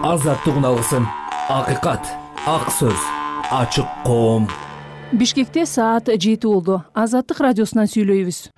азаттык үналгысын, акыйкат, ак сөз, ачык коом. Бишкекте саат 7 болду. Азаттык радиосунан сүйлөйбүз.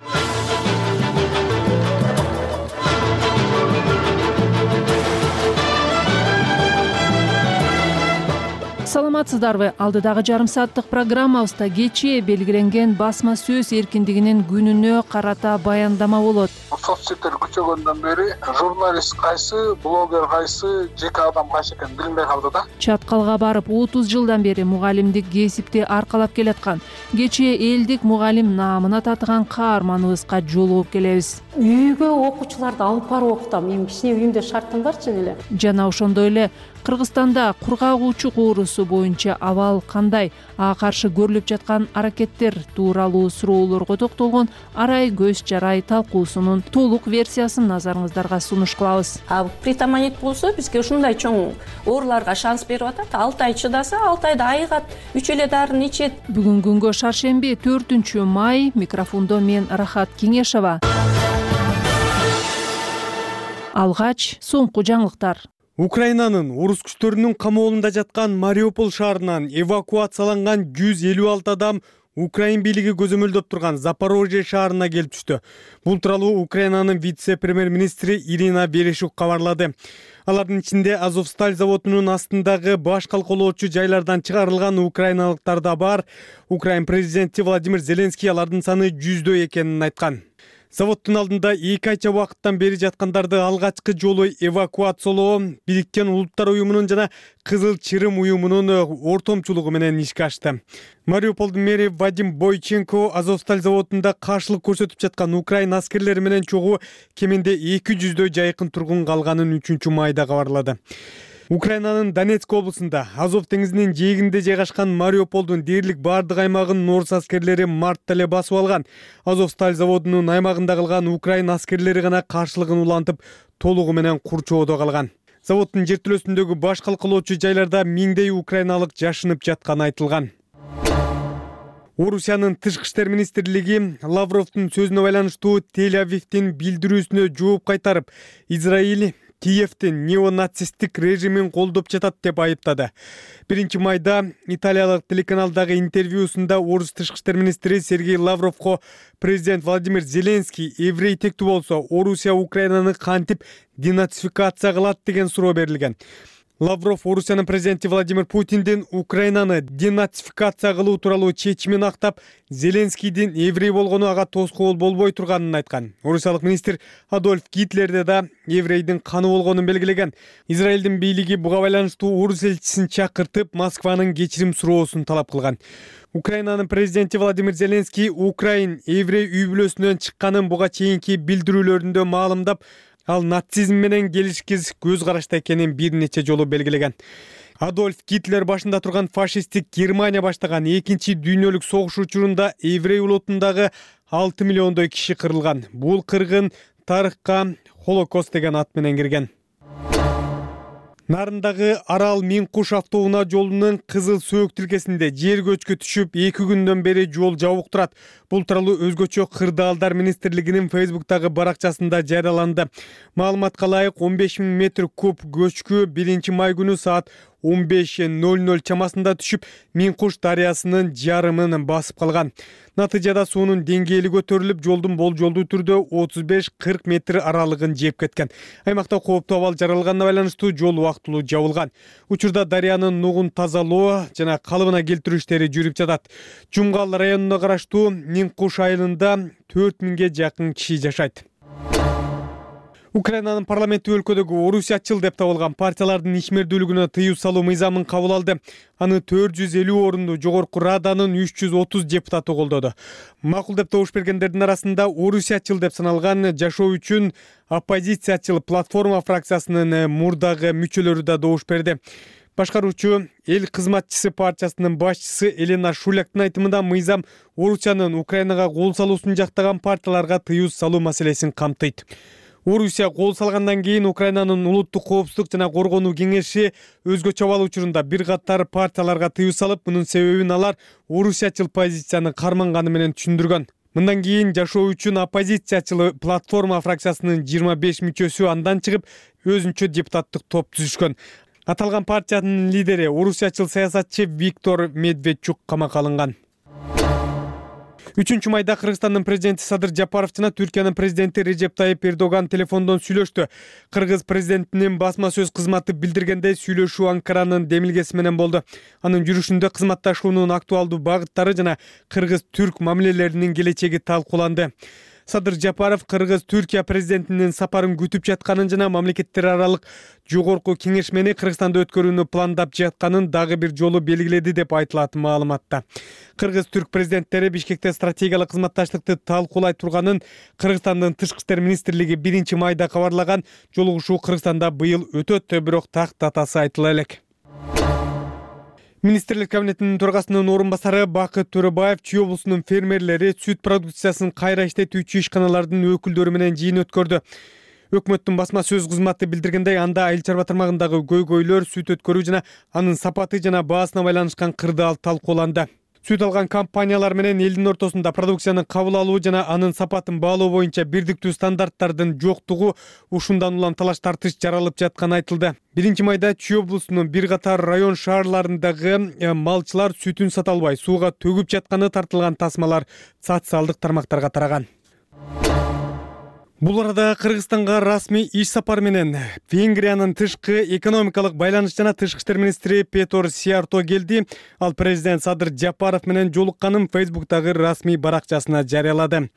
Саламатсыздарбы? Алдыдагы жарым сааттык программабызда кечээ белгиленген басма сөз эркиндигинин күнүнө карата баяндама болот. Соцсеттер күчөгөндөн бери журналист кайсы, блогер кайсы, жеке адам кайсы экенин билинбей калды да. Чаткалга барып 30 жылдан бери мугалимдик кесипти аркалап келаткан кечээ элдик мугалим наамына татыган каарманыбызга жолугуп келебиз. Үйгө окуучуларды алып барып окутам. Мен кичине үйүмдө шартым бар чын эле. Жана ошондой эле Кыргызстанда кургак учук оорусу боюнча абал кандай, ага каршы көрүлүп жаткан аракеттер тууралуу суроолорго токтолгон арай көз жарай талкуусунун толук версиясын назарыңыздарга сунуш кылабыз. Притаманит болсо бизге ушундай чоң ооруларга шанс берип атат. 6 ай чыдаса, 6 айда айыгат, 3 эле дарыны ичет. Бүгүн күнгө шаршемби 4-май, микрофондо мен Рахат Кеңешова. Алгач соңку жаңылыктар. Украинанын орус күчтөрүнүн камоолунда жаткан Мариуполь шаарынан эвакуацияланган 156 адам Украин бийлиги көзөмөлдөп турган Запорожье шаарына келип түштү. Бул тууралуу Украинанын вице-премьер-министри Ирина Верещук кабарлады. Алардын ичинде Азовсталь заводунун астындагы баш калкалоочу жайлардан чыгарылган украиналыктар да бар. Украин президенти Владимир Зеленский алардын саны 100дөй экенин айткан. Заводдун алдында 2 айча убакыттан бери жаткандарды алгачкы жолу эвакуациялоо Бириккен Улуттар уюмунун жана Кызыл Чырым уюмунун ортомчулугу менен ишке ашты. Мариуполдун мэри Вадим Бойченко Азовсталь заводунда каршылык көрсөтүп жаткан Украин аскерлери менен чогуу кеминде 200дөй жайкын тургун калганын 3-майда кабарлады. Украинанын Донецк облусунда Азов деңизинин жээгинде жайгашкан Мариуполдун дээрлик бардык аймагын орус аскерлери мартта эле басып алган. Азовсталь заводунун аймагында калган Украин аскерлери гана каршылыгын улантып, толугу менен курчоодо калган. Заводдун жертөлөсүндөгү баш калкалоочу жайларда миңдей украиналык жашынып жатканы айтылган. Орусиянын тышкы иштер министрлиги Лавровдун сөзүнө байланыштуу Тель-Авивдин билдирүүсүнө жооп кайтарып, Израиль Киевдин неонацисттик режимин колдоп жатат деп айыптады. 1-майда италиялык телеканалдагы интервьюсунда орус тышкы иштер министри Сергей Лавровго президент Владимир Зеленский еврей тектүү болсо, Орусия Украинаны кантип денацификация кылат деген суроо берилген. Лавров Орусиянын президенти Владимир Путиндин Украинаны денацификация кылуу тууралуу чечимин актап, Зеленскийдин еврей болгону ага тоскоол болбой турганын айткан. Орусиялык министр Адольф Гитлерде да еврейдин каны болгонун белгилеген. Израилдин бийлиги буга байланыштуу орус элчисин чакыртып, Москванын кечирим суроосун талап кылган. Украинанын президенти Владимир Зеленский Украин еврей үй бүлөсүнөн чыкканын буга чейинки билдирүүлөрүндө маалымдап, ал нацизм менен келишкиз көз карашта экенин бир нече жолу белгилеген. Адольф Гитлер башында турган фашисттик Германия баштаган 2-чи дүйнөлүк согуш учурунда еврей улутундагы 6 миллиондой киши кырылган. Бул кыргын тарыхка Холокост деген ат менен кирген. Нарындагы Арал Миңкуш автоунаа жолунун Кызыл Сөөк тилкесинде жер көчкү түшүп 2 күндөн бери жол жабык турат. Бул тууралуу өзгөчө кырдаалдар министрлигинин Facebook'тагы баракчасында жарыяланды. Маалыматка ылайык 15 000 метр куб көчкү 1-май күнү саат 15:00 чамасында түшүп, Миңкуш дарыясынын жарымын басып калган. Натыйжада суунун деңгээли көтөрүлүп, жолдун болжолдуу түрдө 35-40 метр аралыгын жеп кеткен. Аймакта кооптуу абал жаралганына байланыштуу жол убактылуу жабылган. Учурда дарыянын нугун тазалоо жана калыбына келтирүү иштери жүрүп жатат. Жумгал районуна караштуу Миңкуш айылында 4000ге жакын киши жашайт. Украинанын парламенти өлкөдөгү орусиячыл деп табылган партиялардын ишмердүүлүгүнө тыюу салуу мыйзамын кабыл алды. Аны 450 орунду жогорку раданын 330 депутаты колдоду. Макул деп добуш бергендердин арасында орусиячыл деп саналган Жашоо үчүн оппозициячыл платформа фракциясынын мурдагы мүчөлөрү да добуш берди. Башкаруучу Эл кызматчысы партиясынын башчысы Елена Шуляктын айтымында мыйзам Орусиянын Украинага кол салуусун жактаган партияларга тыюу салуу маселесин камтыйт. Орусия кол салгандан кийин Украинанын улуттук коопсуздук жана коргонуу кеңеши өзгөчө абал учурунда бир катар партияларга тыюу салып, мунун себебин алар орусиячыл позицияны карманганы менен түшүндүргөн. Мындан кийин Жашоо үчүн оппозициячыл платформа фракциясынын 25 мүчөсү андан чыгып, өзүнчө депутаттык топ түзүшкөн. Аталган партиянын лидери орусиячыл саясатчы Виктор Медведчук камакка алынган. 3 майда Кыргызстандын президенти Садыр Жапаров жана Түркиянын президенти Режеп Тайип Эрдоган телефондон сүйлөштү. Кыргыз президентинин басма сөз кызматы билдиргендей сүйлөшүү Анкаранын демилгеси менен болду. Анын жүрүшүндө кызматташуунун актуалдуу багыттары жана кыргыз-түрк мамилелеринин келечеги талкууланды. Садыр Жапаров Кыргыз-Түркия президентинин сапарын күтүп жатканын жана мамлекеттер аралык жогорку кеңешмени Кыргызстанда өткөрүүнү пландап жатканын дагы бир жолу белгиледи деп айтылат маалыматта. Кыргыз-түрк президенттери Бишкекте стратегиялык кызматташтыкты талкуулай турганын Кыргызстандын тышкы иштер министрлиги 1 майда кабарлаган. Жолугушуу Кыргызстанда быйыл өтөт, бирок так датасы айтыла элек. Министрлик кабинетинин төрагасынын орун басары Бакыт Төрөбаев Чүй облусунун фермерлери сүт продукциясын кайра иштетүүчү ишканалардын өкүлдөрү менен жыйын өткөрдү. Өкмөттүн басма сөз кызматы билдиргендей, анда айыл чарба тармагындагы көйгөйлөр, сүт өткөрүү жана анын сапаты жана баасына байланышкан кырдаал талкууланды. Сүт алган компаниялар менен элдин ортосунда продукциянын кабыл алуу жана анын сапатын баалоо боюнча бирдиктүү стандарттардын жоктугу ушундан улам талаш тартыш жаралып жатканы айтылды. 1 майда Чүй облусунун бир катар район шаарларындагы малчылар сүтүн сата албай сууга төгүп жатканы тартылган тасмалар социалдык тармактарга тараган. Бул арада Кыргызстанга расмий иш сапар менен Венгриянын тышкы экономикалык байланыш жана тышкы иштер министри Петор Сиярто келди. Ал президент Садыр Жапаров менен жолукканын Фейсбуктагы расмий баракчасына жарыялады.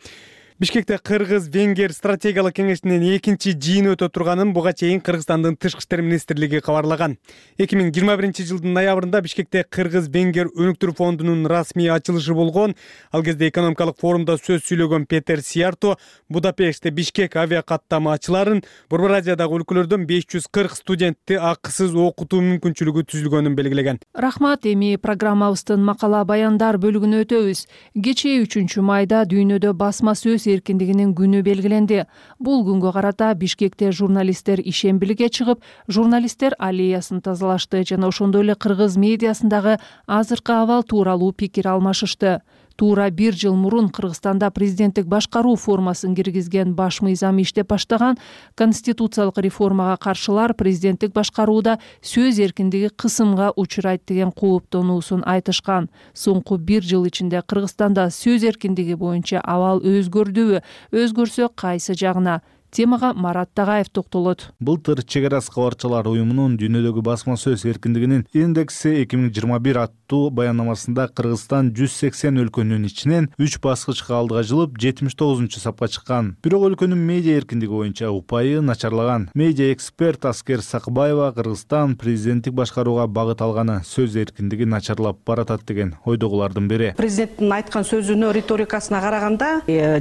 Бишкекте Кыргыз-Венгер стратегиялык кеңешинин 2-чи жыйыны өтө турганын буга чейин Кыргызстандын тышкы иштер министрлиги кабарлаган. 2021 жылдын ноябрында Бишкекте Кыргыз-Венгер өнүктүрүү фондунун расмий ачылышы болгон. Ал кезде экономикалык форумда сөз сүйлөгөн Петер Сиярто Будапештте Бишкек авиакаттама ачыларын, Борбор Азиядагы өлкөлөрдөн 540 студентти акысыз окутуу мүмкүнчүлүгү түзүлгөнүн белгилеген. Рахмат, эми программабыздын макала баяндар бөлүгүнө өтөбүз. Кечээ 3 майда дүйнөдө басма сөз эркиндигинин күнү белгиленди. Бул күнгө карата Бишкекте журналисттер ишембиликке чыгып, журналисттер аллеясын тазалашты жана ошондой эле кыргыз медиасындагы азыркы абал тууралуу пикир алмашышты. Туура 1 жыл мурун Кыргызстанда президенттик башкаруу формасын киргизген баш мыйзам иштеп баштаган. Конституциялык реформага каршылар президенттик башкарууда сөз эркиндиги кысымга учурайт деген кооптонуусун айтышкан. Соңку 1 жыл ичинде Кыргызстанда сөз эркиндиги боюнча абал өзгөрдүбү? Өзгөрсө кайсы жагына? Темага Марат Тагайев токтолот. Былтыр Чек ара кабарчылар уюмунун дүйнөдөгү басма сөз эркиндигинин индекси 2021 аттуу баяннамасында Кыргызстан 180 өлкөнүн ичинен 3 баскычка алдыга жылып 79-сапка чыккан. Бирок өлкөнүн медиа эркиндиги боюнча упайы начарлаган. Медиа эксперт Аскер Сакбаева Кыргызстан президенттик башкарууга багыт алганы сөз эркиндиги начарлап баратат деген ойдогулардын бири. Президенттин айткан сөзүнө, риторикасына караганда,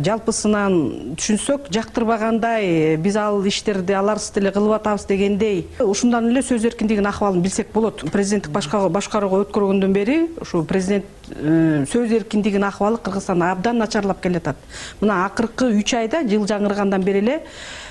жалпысынан түшүнсөк, жактырбагандай биз ал иштерди аларсыз деле кылып атабыз дегендей, ушундан эле сөз эркиндигинин ахвалын билсек болот. Президенттик башкарууга өткөргөндөн бери ушу президент сөз эркиндигинин ахвалы Кыргызстанда абдан начарлап келатат. Мына акыркы 3 айда жыл жаңыргандан бери эле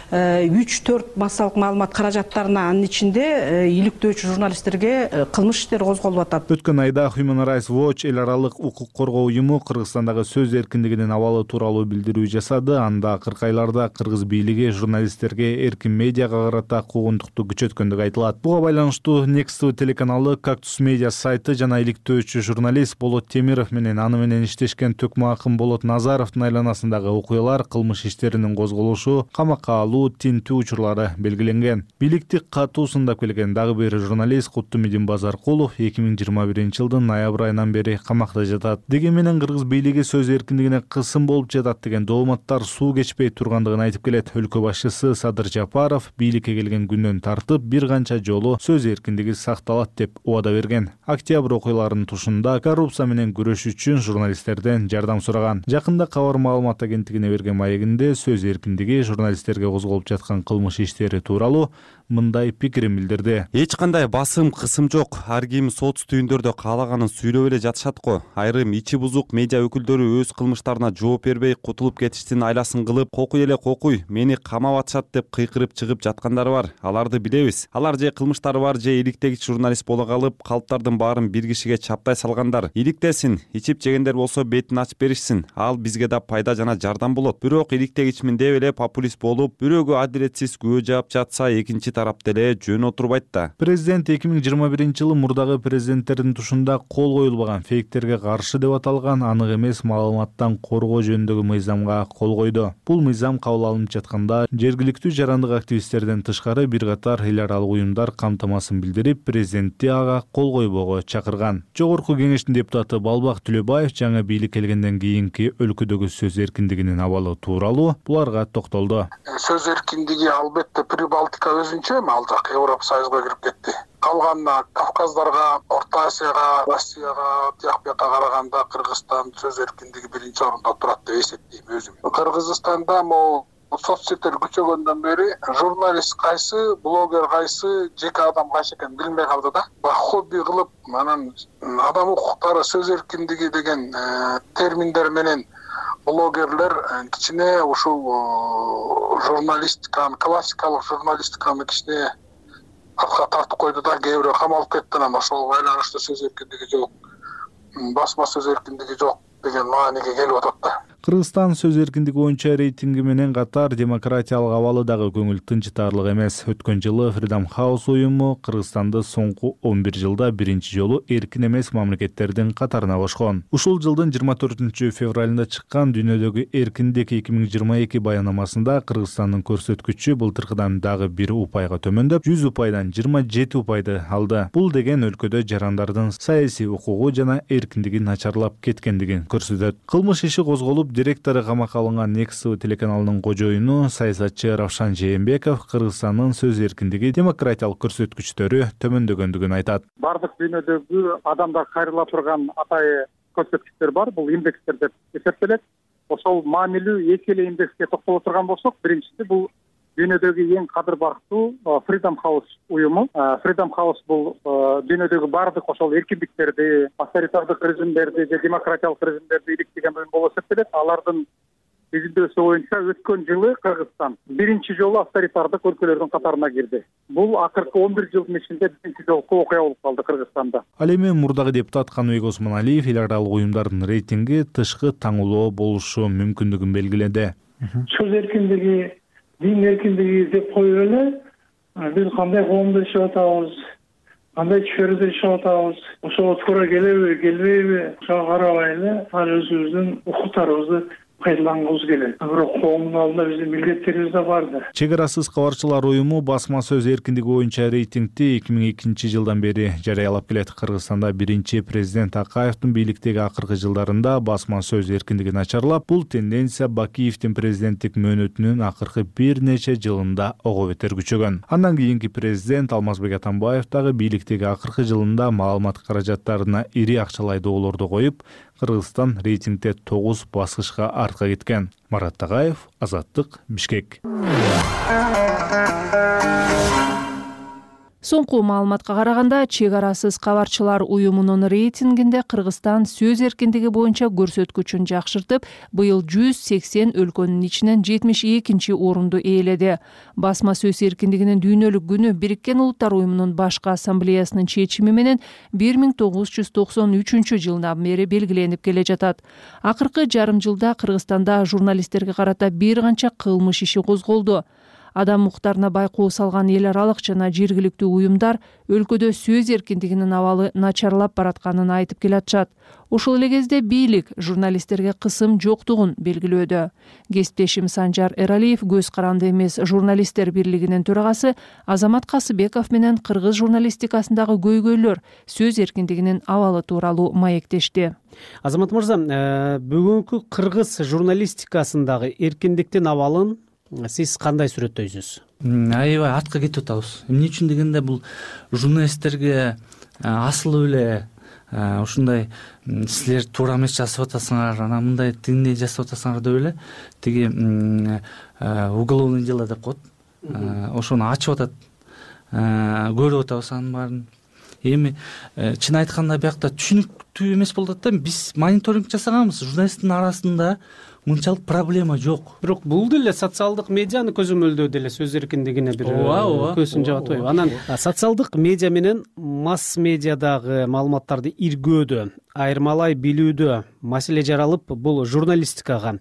3-4 массалык маалымат каражаттарына, анын ичинде иликтөөчү журналисттерге кылмыш иштери козголуп атат. Өткөн айда Human Rights Watch эл аралык укук коргоо уюму Кыргызстандагы сөз эркиндигинин абалы тууралуу билдирүү жасады. Анда акыркы айларда кыргыз бийлиги журналисттерге эркин медиага карата куугунтукту күчөткөндүгү айтылат. Буга байланыштуу Next телеканалы, Cactus Media сайты жана иликтөөчү журналист Болот Темиров менен аны менен иштешкен Төкмө Акын Болот Назаровдун айланасындагы окуялар, кылмыш иштеринин козголушу, камакка алуу, тинтүү учурлары белгиленген. Бийликти катуу сындап келген дагы бир журналист Куттумидин Базаркулов 2021 жылдын ноябрь айынан бери камакта жатат. Деген менен кыргыз бийлиги сөз эркиндигине кысым болуп жатат деген дооматтар суу кечпей тургандыгын айтып келет. Өлкө башчысы Садыр Жапаров бийликке келген күндөн тартып бир канча жолу сөз эркиндиги сакталат деп убада берген. Октябрь окуяларынын тушунда коррупция менен күрөш үчүн журналисттерден жардам сураган. Жакында Кабар маалымат агенттигине берген маегинде сөз эркиндиги журналисттерге козголуп жаткан кылмыш иштери тууралуу мындай пикирин билдирди. Эч кандай басым, кысым жок. Ар ким сот түйүндөрдө каалаганын сүйлөп эле жатышат го. Айрым ичи бузук медиа өкүлдөрү өз кылмыштарына жооп бербей кутулуп кетиштин айласын кылып, кокуй эле кокуй, мени камап атышат деп кыйкырып чыгып жаткандары бар. Аларды билебиз. Алар же кылмыштары бар, же иликтегич журналист боло калып, калптардын баарын бир кишиге чаптай салгандар. Иликтесин, ичип жегендер болсо бетин ачып беришсин. Ал бизге да пайда жана жардам болот. Бирок иликтегичмин деп эле популист болуп, бирөө бирөөгө адилетсиз күбө жаап жатса, экинчи тарап деле жөн отурбайт да. Президент 2021-жылы мурдагы президенттердин тушунда кол коюлбаган фейктерге каршы деп аталган анык эмес маалыматтан коргоо жөнүндөгү мыйзамга кол койду. Бул мыйзам кабыл алынып жатканда жергиликтүү жарандык активисттерден тышкары бир катар эл аралык уюмдар камтамасын билдирип, президентти ага кол койбоого чакырган. Жогорку кеңештин депутаты Балбак Түлөбаев жаңы бийлик келгенден кийинки өлкөдөгү сөз эркиндигинин абалы тууралуу буларга токтолду. Сөз эркиндиги албетте Прибалтика өзүнчө, ал жак Европа Союзуна кирип кетти. Калган Кавказдарга, Орто Азияга, Россияга, тияк бияка караганда Кыргызстан сөз эркиндиги биринчи орунда турат деп эсептейм өзүм. Кыргызстанда могу соцсеттер күчөгөндөн бери журналист кайсы, блогер кайсы, жеке адам кайсы экенин билинбей калды да. Хобби кылып, анан адам укуктары, сөз эркиндиги деген терминдер менен блогерлер кичине ушул журналистиканы, классикалык журналистиканы кичине артка тартып койду да, кээ бирөө камалып кетти. Анан ошого байланыштуу сөз эркиндиги жок, басма сөз эркиндиги жок деген мааниге келип атат да. Кыргызстан сөз эркиндиги боюнча рейтинги менен катар демократиялык абалы дагы көңүл тынчытарлык эмес. Өткөн жылы Freedom House уюму Кыргызстанды соңку 11 жылда биринчи жолу эркин эмес мамлекеттердин катарына кошкон. Ушул жылдын 24 февралында чыккан Дүйнөдөгү эркиндик 2022 баянамасында Кыргызстандын көрсөткүчү былтыркыдан дагы 1 упайга төмөндөп, 100 упайдан 27 упайды алды. Бул деген өлкөдө жарандардын саясий укугу жана эркиндиги начарлап кеткендигин көрсөтөт. Кылмыш иши козголуп, директору камакка алынган Next телеканалынын кожоюну саясатчы Равшан Жээнбеков Кыргызстандын сөз эркиндиги демократиялык көрсөткүчтөрү төмөндөгөндүгүн айтат. Бардык дүйнөдөгү адамдар кайрыла турган атайы көрсөткүчтөр бар. Бул индекстер деп эсептелет. Ошол маанилүү эки эле индекске токтоло турган болсок, биринчиси бул дүйнөдөгү эң кадыр бактуу Freedom House уюму. Freedom House бул дүйнөдөгү бардык ошол эркиндиктерди, авторитардык режимдерди же демократиялык режимдерди иликтеген уюм болуп эсептелет. Алардын изилдөөсү боюнча өткөн жылы Кыргызстан биринчи жолу авторитардык өлкөлөрдүн катарына кирди. Бул акыркы 11 жылдын ичинде биринчи жолку окуя болуп калды Кыргызстанда. Ал эми мурдагы депутат Каныбек Осмоналиев эл аралык уюмдардын рейтинги тышкы таңуулоо болушу мүмкүндүгүн белгиледи. Сөз эркиндиги, дин эркиндиги деп коюп эле биз кандай коомдо жашап атабыз, кандай чөйрөдө жашап атабыз, ошого туура келеби, келбейби, ошого карабай эле ал өзүбүздүн укуктарыбызды пайдалангыбыз келет. Бирок коомдун алдында биздин милдеттерибиз да бар да. Чек арасыз кабарчылар уюму басма сөз эркиндиги боюнча рейтингти 2002 жылдан бери жарыялап келет. Кыргызстанда биринчи президент Акаевдин бийликтеги акыркы жылдарында басма сөз эркиндиги начарлап, бул тенденция Бакиевдин президенттик мөөнөтүнүн акыркы бир нече жылында ого бетер күчөгөн. Андан кийинки президент Алмазбек Атамбаев дагы бийликтеги акыркы жылында маалымат каражаттарына ири акчалай доолорду коюп, Кыргызстан рейтингде 9 баскычка артка кеткен. Марат Тагаев, Азаттык, Бишкек. Соңку маалыматка караганда, чек арасыз кабарчылар уюмунун рейтингинде Кыргызстан сөз эркиндиги боюнча көрсөткүчүн жакшыртып, быйыл 180 өлкөнүн ичинен 72 орунду ээледи. Басма сөз эркиндигинин дүйнөлүк күнү Бириккен Улуттар уюмунун башкы ассамблеясынын чечими менен 1993 жылдан бери белгиленип келе жатат. Акыркы жарым жылда Кыргызстанда журналисттерге карата бир канча кылмыш иши козголду. Адам укуктарына байкоо салган эл аралык жана жергиликтүү уюмдар өлкөдө сөз эркиндигинин абалы начарлап баратканын айтып келатышат. Ошол эле кезде бийлик журналисттерге кысым жоктугун белгилөөдө. Кесиптешим Санжар Эралиев Көз каранды эмес журналисттер бирлигинин төрагасы Азамат Касыбеков менен кыргыз журналистикасындагы көйгөйлөр, сөз эркиндигинин абалы тууралуу маектешти. Азамат мырза, бүгүнкү кыргыз журналистикасындагы эркиндиктин абалын сиз кандай сүрөттөйсүз? Аябай артка кетип атабыз. Эмне үчүн дегенде бул журналисттерге асылы эле ушундай силер туура эмес жасап атасыңар, анан мындай тигиндей жасап атасыңар деп эле тиги уголовный дело деп коет. Ошону ачып атат. Көрүп атабыз анын баарын. Эми чын айтканда биякта түшүнүктүү эмес болуп атат да. Биз мониторинг жасаганбыз, журналисттин арасында мынчалык проблема жок. Бирок бул деле социалдык медианы көзөмөлдөө деле сөз эркиндигине бир көзүн жаап атпайбы? Анан социалдык медиа менен масс медиадагы маалыматтарды иргөөдө айырмалай билүүдө маселе жаралып, бул журналистикага,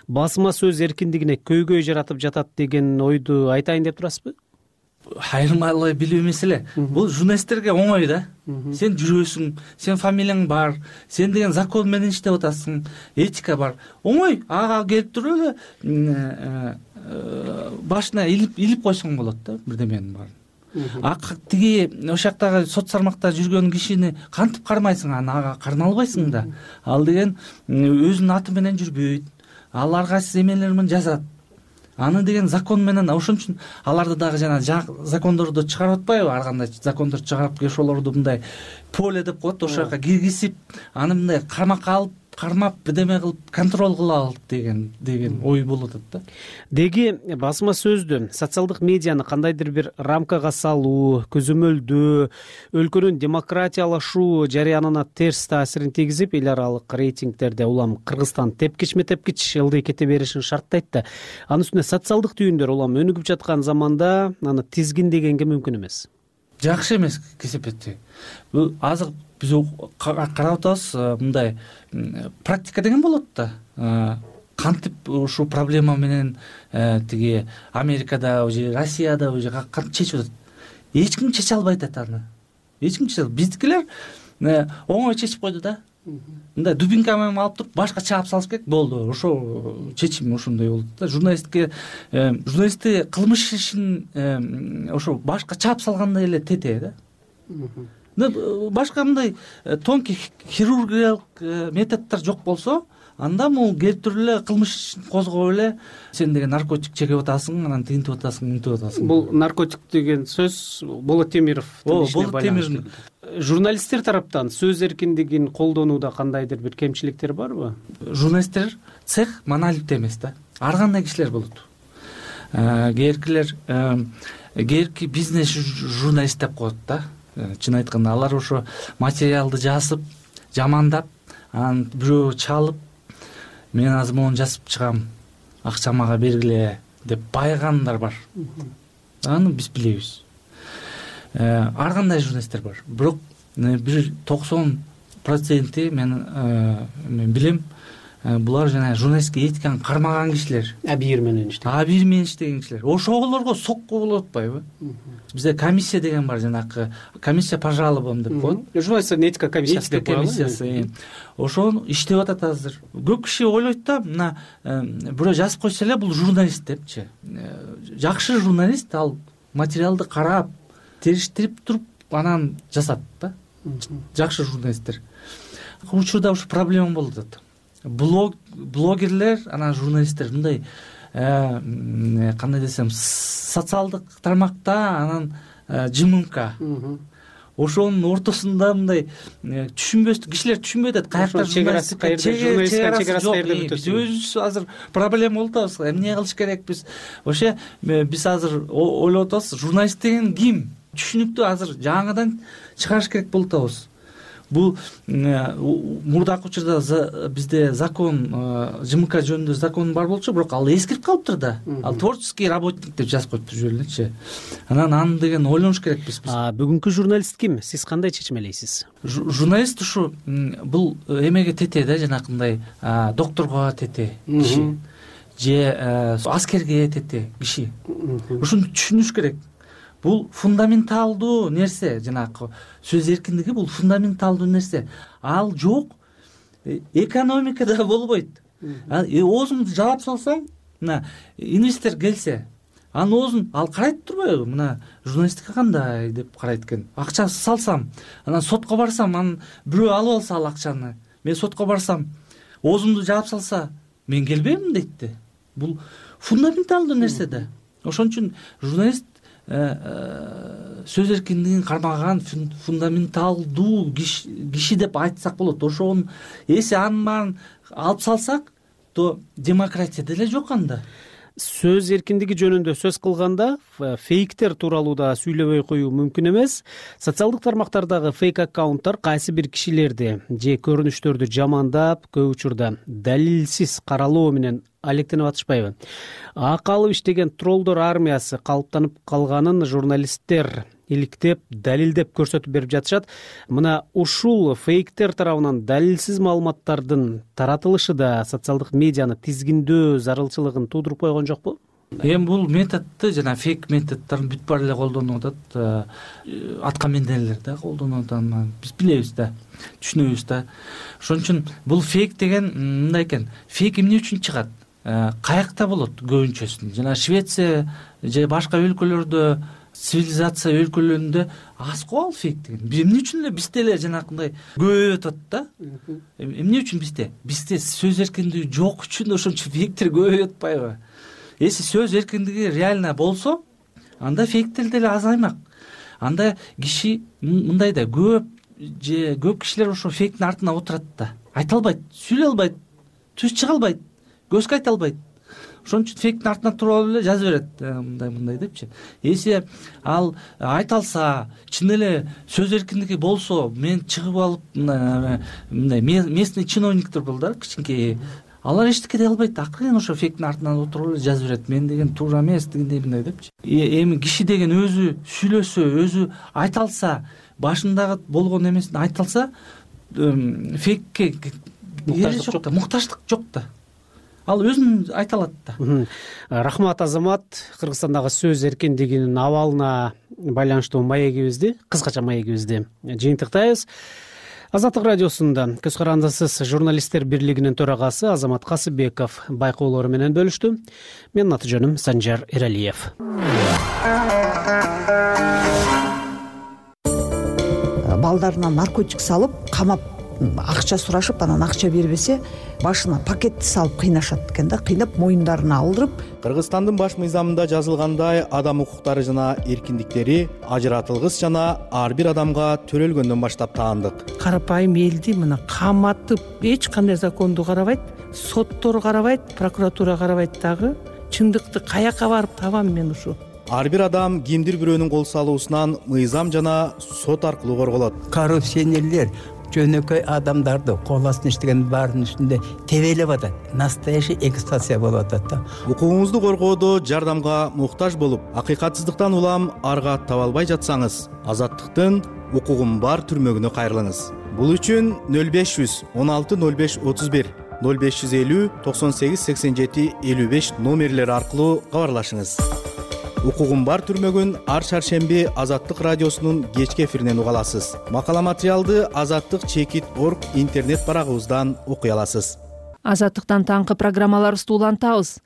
басма сөз эркиндигине көйгөй жаратып жатат деген ойду айтайын деп турасызбы? Айырмалай билүү меселе. Бул журналисттерге оңой да. Сен жүрөсүң, сен фамилияң бар, сен деген закон менен иштеп атасың, этика бар. Оңой, ага келип туруп эле башына илип койсоң болот да, бирдеменин баарын. Тиги ошол жактагы соц тармакта жүргөн кишини кантип кармайсың, ага кармай албайсың да. Ал деген өзүнүн аты менен жүрбөйт. Ал ар кайсы эмелер менен жазат. Аны деген закон менен, ошон үчүн аларды дагы жана закондорду чыгарып атпайбы? Ар кандай закондор чыгарып ошолорду мындай поле деп коет, ошол жака киргизип, аны мындай кармакка алып, кармап, бирдеме кылып контроль кылалык деген ой болуп атат да. Деги басма сөздү, социалдык медианы кандайдыр бир рамкага салуу, көзөмөлдөө, өлкөнүн демократиялашуу жарыянына терс таасирин тийгизип, эл аралык рейтингдерде улам Кыргызстан тепкичме-тепкич ылдый кете беришин шарттайт да. Анын үстүнө социалдык түйүндөр улам өнүгүп жаткан заманда аны тизгиндегенге мүмкүн эмес. Жакшы эмес кесепетти. Бул азыр биз карап атабыз, мындай практика деген болот да. Кантип ушул проблема менен тиги Америкада же Россияда же кантип чечип атат. Эч ким чече албайт аны. Эч ким чече албайт. Биздикилер оңой чечип койду да. Мындай дубинка менен алып туруп башка чаап салыш керек, болду. Ошо чечим ошондой болот да. Журналистти кылмыш ишин ошо башка чаап салгандай эле тете да. Башка мындай тонкий хирургиялык методдор жок болсо, анда могу келип туруп эле кылмыш ишин козгоп эле сен деген наркотик чегип атасың, анан тинтип атасың, мынтип атасың. Бул наркотик деген сөз Болот Темировдун ишине байланыштуу. Журналисттер тараптан сөз эркиндигин колдонууда кандайдыр бир кемчиликтер барбы? Журналисттер цех монолит эмес да. Ар кандай кишилер болот. Кээерки бизнес журналист деп коет да. Чын айтканда алар ошо материалды жазып, жамандап, анан бирөө чалып, мен азыр мону жазып чыгам, акча мага бергиле деп байыгандар бар. Аны биз билебиз. Ар кандай журналисттер бар. Бирок бир 90% мен билем, булар жана журналистке этиканы кармаган кишилер. Абийир менен иштеген кишилер. Ошолорго сокко болуп атпайбы? Бизде комиссия деген бар, жанакы комиссия по жалобам деп коет. Журналисттин этика комиссиясы деп коет. Ошону иштеп атат азыр. Көп киши ойлойт да, мына бирөө жазып койсо эле бул журналист депчи. Жакшы журналист ал материалды карап, териштирип туруп анан жасат да. Жакшы журналисттер. Учурда ушу проблема болуп атат. Блогерлер, анан журналисттер мындай кандай десем, социалдык тармакта анан ЖММК. Ошонун ортосунда мындай түшүнбөстүк кишилер түшүнбөй атат. Каякта журналистика, чегарасы каерде бүтөт. Биз өзүбүз азыр проблема болуп атабыз. Эмне кылыш керекпиз? Ошо биз азыр ойлоп атабыз, журналист деген ким? Түшүнүктүү азыр жаңыдан чыгарыш керек болуп атабыз. Бул мурдакы учурда бизде закон, ЖМК жөнүндө закон бар болчу, бирок ал эскирип калыптыр да. Ал творческий работник деп жазып коюптур жүрүп элекчи. Анан аны деген ойлонуш керекпиз биз. Бүгүнкү журналист ким? Сиз кандай чечмелейсиз? Журналист ушу бул эмеге тете да, жанакындай докторго тете киши, же аскерге тете киши. Ушуну түшүнүш керек. Бул фундаменталдуу нерсе, жанакы сөз эркиндиги бул фундаменталдуу нерсе. Ал жок, экономикада болбойт. Оозуңду жаап салсаң, мына инвестор келсе, анын оозун ал карайт турбайбы? Мына журналистика кандай деп карайт экен. Акча салсам, анан сотко барсам, анан бирөө алып алса ал акчаны, мен сотко барсам, оозумду жаап салса, мен келбеймин дейт да. Бул фундаменталдуу нерсе да. Ошон үчүн журналист сөз эркиндигин кармаган фундаменталдуу киши деп айтсак болот. Ошонун эси анын баарын алып салсак, то демократия деле жок анда. Сөз эркиндиги жөнүндө сөз кылганда фейктер тууралуу да сүйлөбөй коюу мүмкүн эмес. Социалдык тармактардагы фейк аккаунттар кайсы бир кишилерди же көрүнүштөрдү жамандап, көп учурда далилсиз каралоо менен алектенип атышпайбы? Акы алып иштеген троллдор армиясы калыптанып калганын журналисттер иликтеп, далилдеп көрсөтүп берип жатышат. Мына ушул фейктер тарабынан далилсиз маалыматтардын таратылышы да социалдык медианы тизгиндөө зарылчылыгын туудуруп койгон жокпу? Эми бул методду жана фейк методдорун бүт баары эле колдонуп атат. Аткамендерлер да колдонуп атат. Биз билебиз да, түшүнөбүз да. Ошон үчүн бул фейк деген мындай экен. Фейк эмне үчүн чыгат? Каякта болот көбүнчөсүн. Жана Швеция же башка өлкөлөрдө, цивилизация өлкөлөрүндө аз го ал фейк деген. Эмне үчүн эле бизде эле жанакындай көбөйүп атат да? Эмне үчүн бизде? Бизде сөз эркиндиги жок үчүн ошон үчүн фейктер көбөйүп атпайбы? Если сөз эркиндиги реально болсо, анда фейктер деле азаймак. Анда киши мындай да көп кишилер ошо фейктин артына отурат да. Айта албайт, сүйлөй албайт, түз чыга албайт, көзгө айта албайт. Ошон үчүн фейктин артына туруп алып эле жаза берет, мындай депчи. Если ал айта алса, чын эле сөз эркиндиги болсо, мен чыгып алып мындай местный чиновниктер бол да, кичинекей. Алар эчтеке дей албайт. Акырын ошо фейктин артынан отуруп эле жаза берет. Мен деген туура эмес дегендей мындай депчи. Эми киши деген өзү сүйлөсө, өзү айта алса, башындагы болгон эмесин айта алса, фейкке муктаждык жок да, муктаждык жок да. Ал өзүн айта алат да. Рахмат, Азамат. Кыргызстандагы сөз эркиндигинин абалына байланыштуу маегибизди, кыскача маегибизди жыйынтыктайбыз. Азаттык радиосунда Көз карандысыз журналисттер бирлигинин төрагасы Азамат Касыбеков байкоолору менен бөлүштү. Менин аты жөнүм Санжар Эралиев. Балдарына наркотик салып, камап, акча сурашып, анан акча бербесе, башына пакетти салып кыйнашат экен да, кыйнап моюндарына алдырып. Кыргызстандын баш мыйзамында жазылгандай, адам укуктары жана эркиндиктери ажыратылгыс жана ар бир адамга төрөлгөндөн баштап таандык. Карапайым элди мына каматып, эч кандай законду карабайт, соттор карабайт, прокуратура карабайт дагы. Чындыкты каяка барып табам мен ушу? Ар бир адам кимдир бирөөнүн кол салуусунан мыйзам жана сот аркылуу корголот. Коррупционерлер жөнөкөй адамдарды кол астына иштеген баарынын үстүндө тебелеп атат. Настоящий эксплуатация болуп атат да. Укугуңузду коргоодо жардамга муктаж болуп, акыйкатсыздыктан улам арга таба албай жатсаңыз, Азаттыктын укугум бар түрмөгүнө кайрылыңыз. Бул үчүн 0500 16 05 31 0550 98 87 55 номерлери аркылуу кабарлашыңыз. Укугум бар түрмөгүн ар шаршемби Азаттык радиосунун кечки эфиринен уга аласыз. Макала материалды azattik.org интернет барагыбыздан окуй аласыз. Азаттыктан таңкы программаларыбызды улантабыз.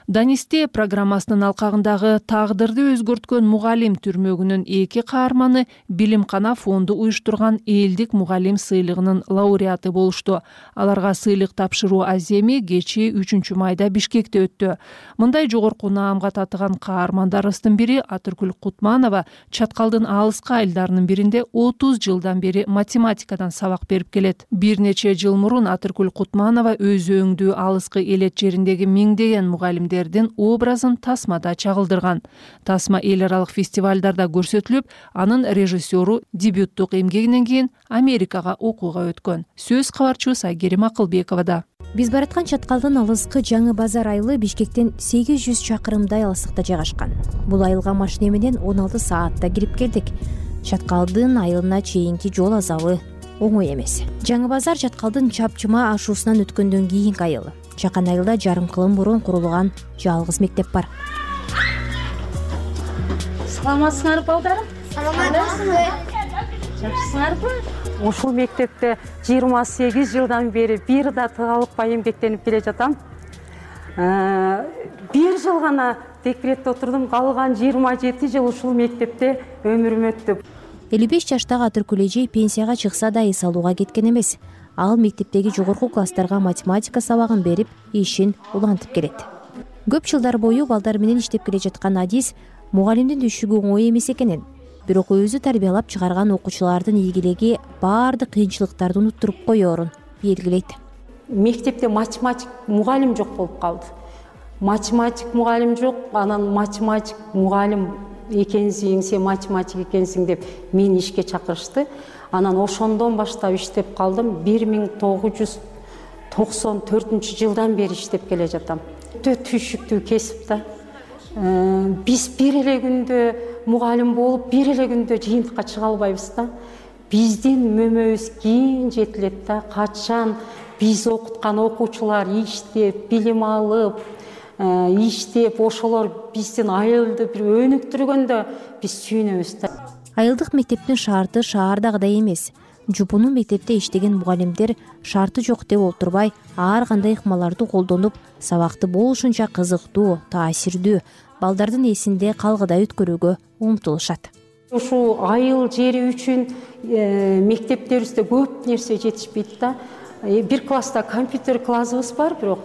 Данисте программасынын алкагындагы тагдырды өзгөрткөн мугалим түрмөгүнүн 2 каарманы Билимкана фонду уюштурган элдик мугалим сыйлыгынын лауреаты болушту. Аларга сыйлык тапшыруу аземи кечээ 3 майда Бишкекте өттү. Мындай жогорку наамга татыган каармандарыбыздын бири Атыркүл Кутманова Чаткалдын алыска айылдарынын биринде 30 жылдан бери математикадан сабак берип келет. Бир нече жыл мурун Атыркүл Кутманова өз өңдүү алыскы элет жериндеги миңдеген мугалимдер образын тасмада чагылдырган. Тасма эл аралык фестивалдарда көрсөтүлүп, анын режиссеру дебюттук эмгегинен кийин Америкага окууга өткөн. Сөз кабарчыбыз Айгерим Акылбековада. Биз бараткан Чаткалдын алыскы Жаңы Базар айылы Бишкектен 800 чакырымдай алыстыкта жайгашкан. Бул айылга машина менен 16 саатта кирип келдик. Чаткалдын айылына чейинки жол азабы оңой эмес. Жаңы Базар Чаткалдын чапчыма ашуусунан өткөндөн кийинки айыл. Чакан айылда жарым кылым мурун курулган жалгыз мектеп бар. Саламатсыңарбы балдарым? Саламатсызбы? Жакшысыңарбы? Ушул мектепте 28 жылдан бери бир да тыгалыкпай эмгектенип келе жатам. Бир жыл гана декретте отурдум, калган 27 жыл ушул мектепте өмүрүм өттү. 55 жаштагы Атыркүл эже пенсияга чыкса да эс алууга кеткен эмес. Ал мектептеги жогорку класстарга математика сабагын берип, ишин улантып келет. Көп жылдар бою балдар менен иштеп келе жаткан Адис мугалимдин түшүгү оңой эмес экенин, бирок өзү тарбиялап чыгарган окуучулардын ийгилиги баардык кыйынчылыктарды уnuттуруп коерун белгилейт. Мектепте математик мугалим жок болуп калды. Математик мугалим жок, анан математик мугалим экенсиң, сен математик экенсиң деп мени ишке чакырышты. Анан ошондон баштап иштеп калдым. 1994 жылдан бери иштеп келе жатам. өтө түйшүктүү кесип да. Биз бир эле күндө мугалим болуп, бир эле күндө жыйынтыкка чыга албайбыз да. Биздин мөмөбүз кийин жетилет да. Качан биз окуткан окуучулар иштеп, билим алып, иштеп, ошолор биздин айылды бир өнүктүргөндө биз сүйүнөбүз да. Айылдык мектептин шарты шаардагыдай эмес. Жупуну мектепте иштеген мугалимдер шарты жок деп олтурбай, ар кандай ыкмаларды колдонуп, сабакты болушунча кызыктуу, таасирдүү, балдардын эсинде калгыдай өткөрүүгө умтулушат. Ушу айыл жери үчүн мектептерибизде көп нерсе жетишпейт да. Бир класста компьютер классыбыз бар, бирок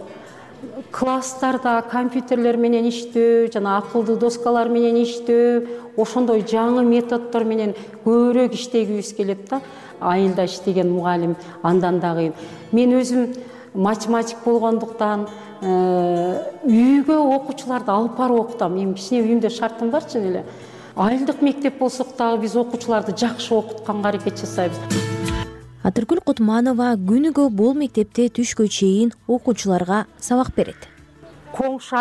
класстарда компьютерлер менен иштөө, жана акылдуу доскалар менен иштөө, ошондой жаңы методдор менен көбүрөөк иштегибиз келет да. Айылда иштеген мугалим андан дагы. Мен өзүм математик болгондуктан үйгө окуучуларды алып барып окутам. Мен кичине үйүмдө шартым бар чын эле. Айылдык мектеп болсок дагы биз окуучуларды жакшы окутканга аракет жасайбыз. Атыркүл Кутманова күнүгө бул мектепте түшкө чейин окуучуларга сабак берет. Коңшу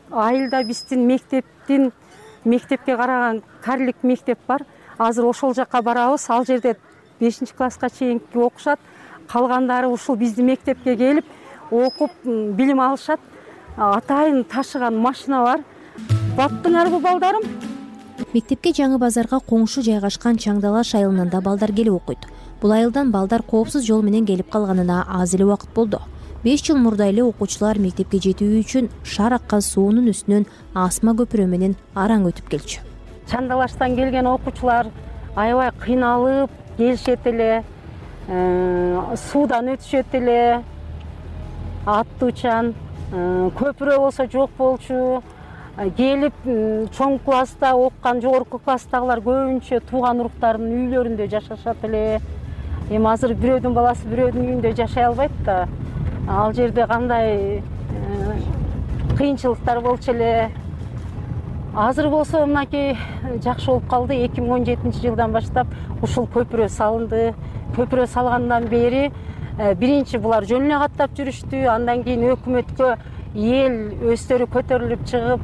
айылда биздин мектепке караган карлик мектеп бар. Азыр ошол жака барабыз. Ал жерде 5-класска чейинки окушат. Калгандары ушул биздин мектепке келип окуп билим алышат. Атайын ташыган машина бар. Баттыңарбы балдарым? Мектепке Жаңы базарга коңшу жайгашкан Чаңдалаш айылында балдар келип окуйт. Бул айылдан балдар коопсуз жол менен келип калганына аз эле убакыт болду. 5 жыл мурда эле окуучулар мектепке жетүү үчүн шаар аккан суунун үстүнөн асма көпүрө менен араң өтүп келчү. Чандалаштан келген окуучулар аябай кыйналып келишет эле, суудан өтүшөт эле, аттуучан, көпүрө болсо жок болчу. Келип чоң класста окуган жогорку класстагылар көбүнчө тууган уруктарынын үйлөрүндө жашашат эле. Эми азыр бирөөдүн баласы бирөөдүн үйүндө жашай албайт да. Ал жерде кандай кыйынчылыктар болчу эле. Азыр болсо мынакей жакшы болуп калды. 2017-жылдан баштап ушул көпүрө салынды. Көпүрө салгандан бери биринчи булар жөн эле каттап жүрүштү. Андан кийин өкмөткө эл өздөрү көтөрүлүп чыгып,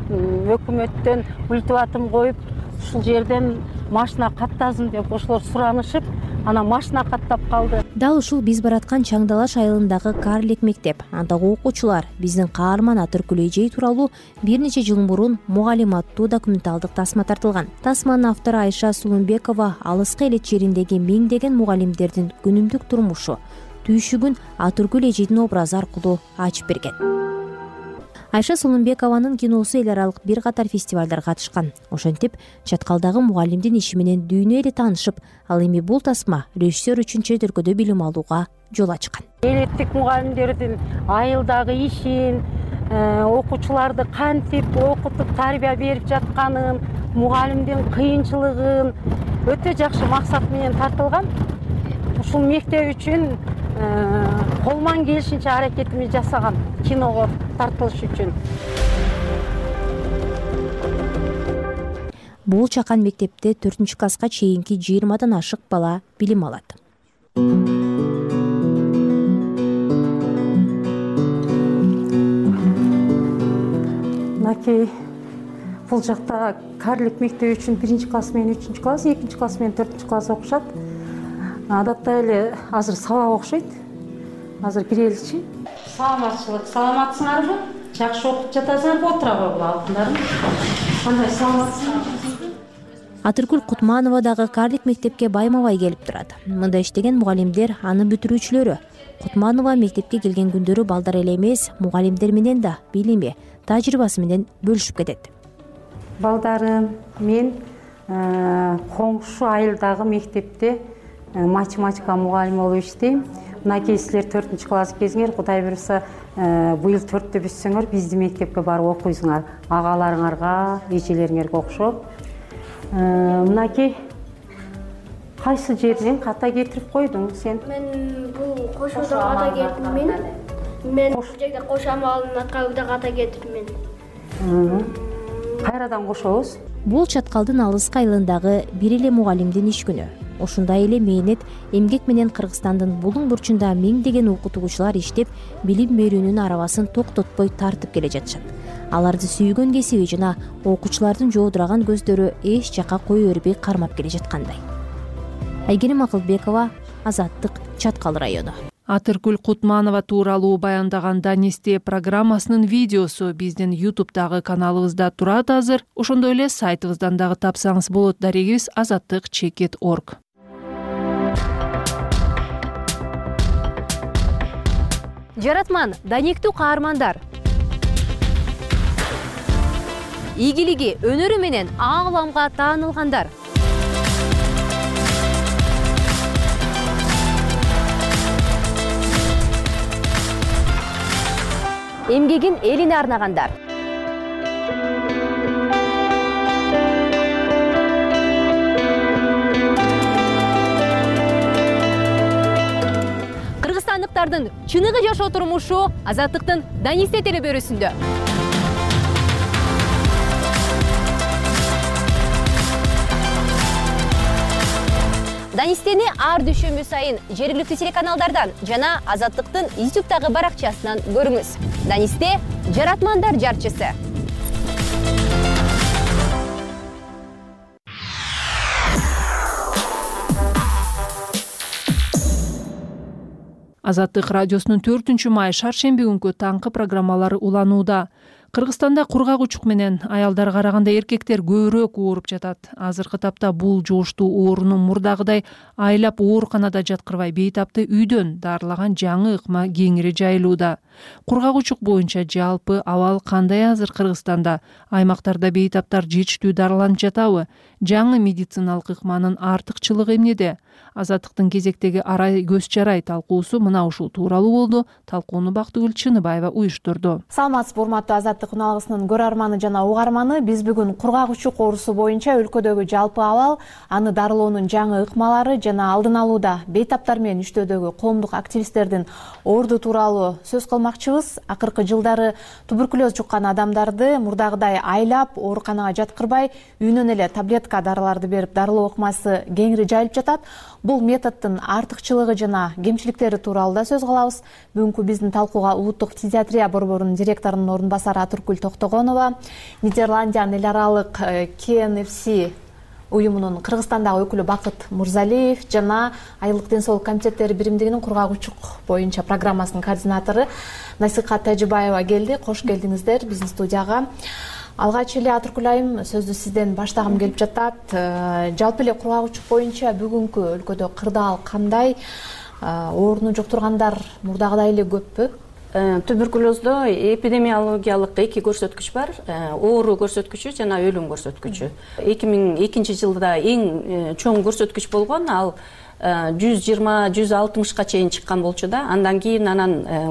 өкмөттөн ультиматум коюп, ушул жерден машина каттасын деп ошолор суранышып, анан машина каттап калды. Дал ушул биз бараткан Чаңдалаш айылындагы карлик мектеп. Андагы окуучулар биздин каарман Атыркүл эжей тууралуу бир нече жыл мурун мугалим аттуу документалдык тасма тартылган. Тасманын автору Айша Сулумбекова алыскы элет жериндеги миңдеген мугалимдердин күнүмдүк турмушу, түйшүгүн Атыркүл эжейдин образы аркылуу ачып берген. Айша Сулумбекованын киносу эл аралык бир катар фестивалдарга катышкан. Ошентип, чаткалдагы мугалимдин иши менен дүйнө эле таанышып, ал эми бул тасма режиссер үчүн чет өлкөдө билим алууга жол ачкан. Элеттик мугалимдердин айылдагы ишин, окуучуларды кантип окутуп тарбия берип жатканын, мугалимдин кыйынчылыгын өтө жакшы максат менен тартылган. Ушул мектеп үчүн колман келишинче аракетимди жасаган киного тартылыш үчүн. Бул чакан мектепте 4-класска чейинки 20-дан ашык бала билим алат. Мынакей бул жакта карлик мектеби үчүн 1-класс менен 3-класс, 2-класс менен 4-класс окушат. Адатта эле азыр сабак окушойт. Азыр киреличи. Саламатчылык, саламатсыңарбы? Жакшы окуп жатасыңарбы? Отура койгула алтындарым. Кандай саламатсыңар? Атыркүл Кутманова дагы карлик мектепке байма-бай келип турат. Мында иштеген мугалимдер аны бүтүрүүчүлөрү. Кутманова мектепке келген күндөрү балдар эле эмес, мугалимдер менен да билими, тажрыйбасы менен бөлүшүп кетет. Балдарым, мен коңшу айылдагы мектепте математика мугалими болуп иштейм. Мынакей силер 4-класс кезиңер, Кудай буюрса, быйыл 4-тө бүтсөңөр, биздин мектепке барып окуйсуңар. Агаларыңарга, эжелериңерге окшоп. Мынакей кайсы жерден ката кетирип койдуң сен? Мен бул кошодо ката кетирмин. Мен бул жерде кошо амалына кайда ката кетирмин. Кайрадан кошобуз? Бул чаткалдын алыскы айылындагы бир эле мугалимдин иш күнү. ушундай эле мээнет эмгек менен Кыргызстандын булуң бурчунда миңдеген окутуучулар иштеп, билим берүүнүн арабасын токтотпой тартып келе жатышат. Аларды сүйгөн кесиби жана окуучулардын жоодураган көздөрү эч жакка кое бербей кармап келе жаткандай. Айгерим Акылбекова, Азаттык, Чаткал району. Атыркүл Кутманова тууралуу баяндаган Данисте программасынын видеосу биздин YouTube'дагы каналыбызда турат азыр. Ошондой эле сайтыбыздан дагы тапсаңыз болот. Дарегибиз azattik.org. Жаратман, даниктүү каармандар. Ийгилиги, өнөрү менен ааламга таанылгандар. Эмгегин элине арнагандар. Кыргызстандыктардын чыныгы жашоо турмушу Азаттыктын Данисте телебөрүсүндө. Данистени ар дүйшөмбү сайын жергиликтүү телеканалдардан жана Азаттыктын YouTube'дагы баракчасынан көрүңүз. Данисте — жаратмандар жарчысы. Азаттык радиосунун 4-май шаршемби күнкү таңкы программалары уланууда. Кыргызстанда кургак учук менен аялдарга караганда эркектер көбүрөөк ооруп жатат. Азыркы тапта бул жугуштуу ооруну мурдагыдай айлап ооруканада жаткырбай, бейтапты үйдөн дарылаган жаңы ыкма кеңири жайылууда. Кургак учук боюнча жалпы абал кандай азыр Кыргызстанда? Аймактарда бейтаптар жетиштүү дарыланып жатабы? Жаңы медициналык ыкманын артыкчылыгы эмнеде? Азаттыктын кезектеги арай көз жарай талкуусу мына ушул тууралуу болду. Талкууну Бактыгүл Чыныбаева уюштурду. Саламатсызбы, урматтуу Азаттык уналгысынын көрөрманы жана угарманы. Биз бүгүн кургак учук оорусу боюнча өлкөдөгү жалпы абал, аны дарылоонун жаңы ыкмалары жана алдын алууда бейтаптар менен иштөөдөгү коомдук активисттердин орду тууралуу сөз кылмакчыбыз. Акыркы жылдары туберкулез жуккан адамдарды мурдагыдай айлап ооруканага жаткырбай, үйүнөн эле таблетка дарыларды берип дарылоо ыкмасы кеңири жайылып жатат. Бул методдун артыкчылыгы жана кемчиликтери тууралуу да сөз кылабыз. Бүгүнкү биздин талкууга улуттук фтизиатрия борборунун директорунун орун басары Атыркүл Токтогонова, Нидерландиянын эл аралык KNFC уюмунун Кыргызстандагы өкүлү Бакыт Мурзалиев жана Айылдык ден соолук комитеттери биримдигинин кургак учук боюнча программасынын координатору Насыйкат Тажибаева келди. Кош келдиңиздер биздин студияга. Алгач эле Атыркүл айым, сөздү сизден баштагым келип жатат. Жалпы эле кургак учук боюнча бүгүнкү өлкөдө кырдаал кандай? Ооруну жуктургандар мурдагыдай эле көппү? Туберкулездо эпидемиологиялык эки көрсөткүч бар. Оору көрсөткүчү жана өлүм көрсөткүчү. 2002 жылда эң чоң көрсөткүч болгон, ал 120-160ка чейин чыккан болчу да. Андан кийин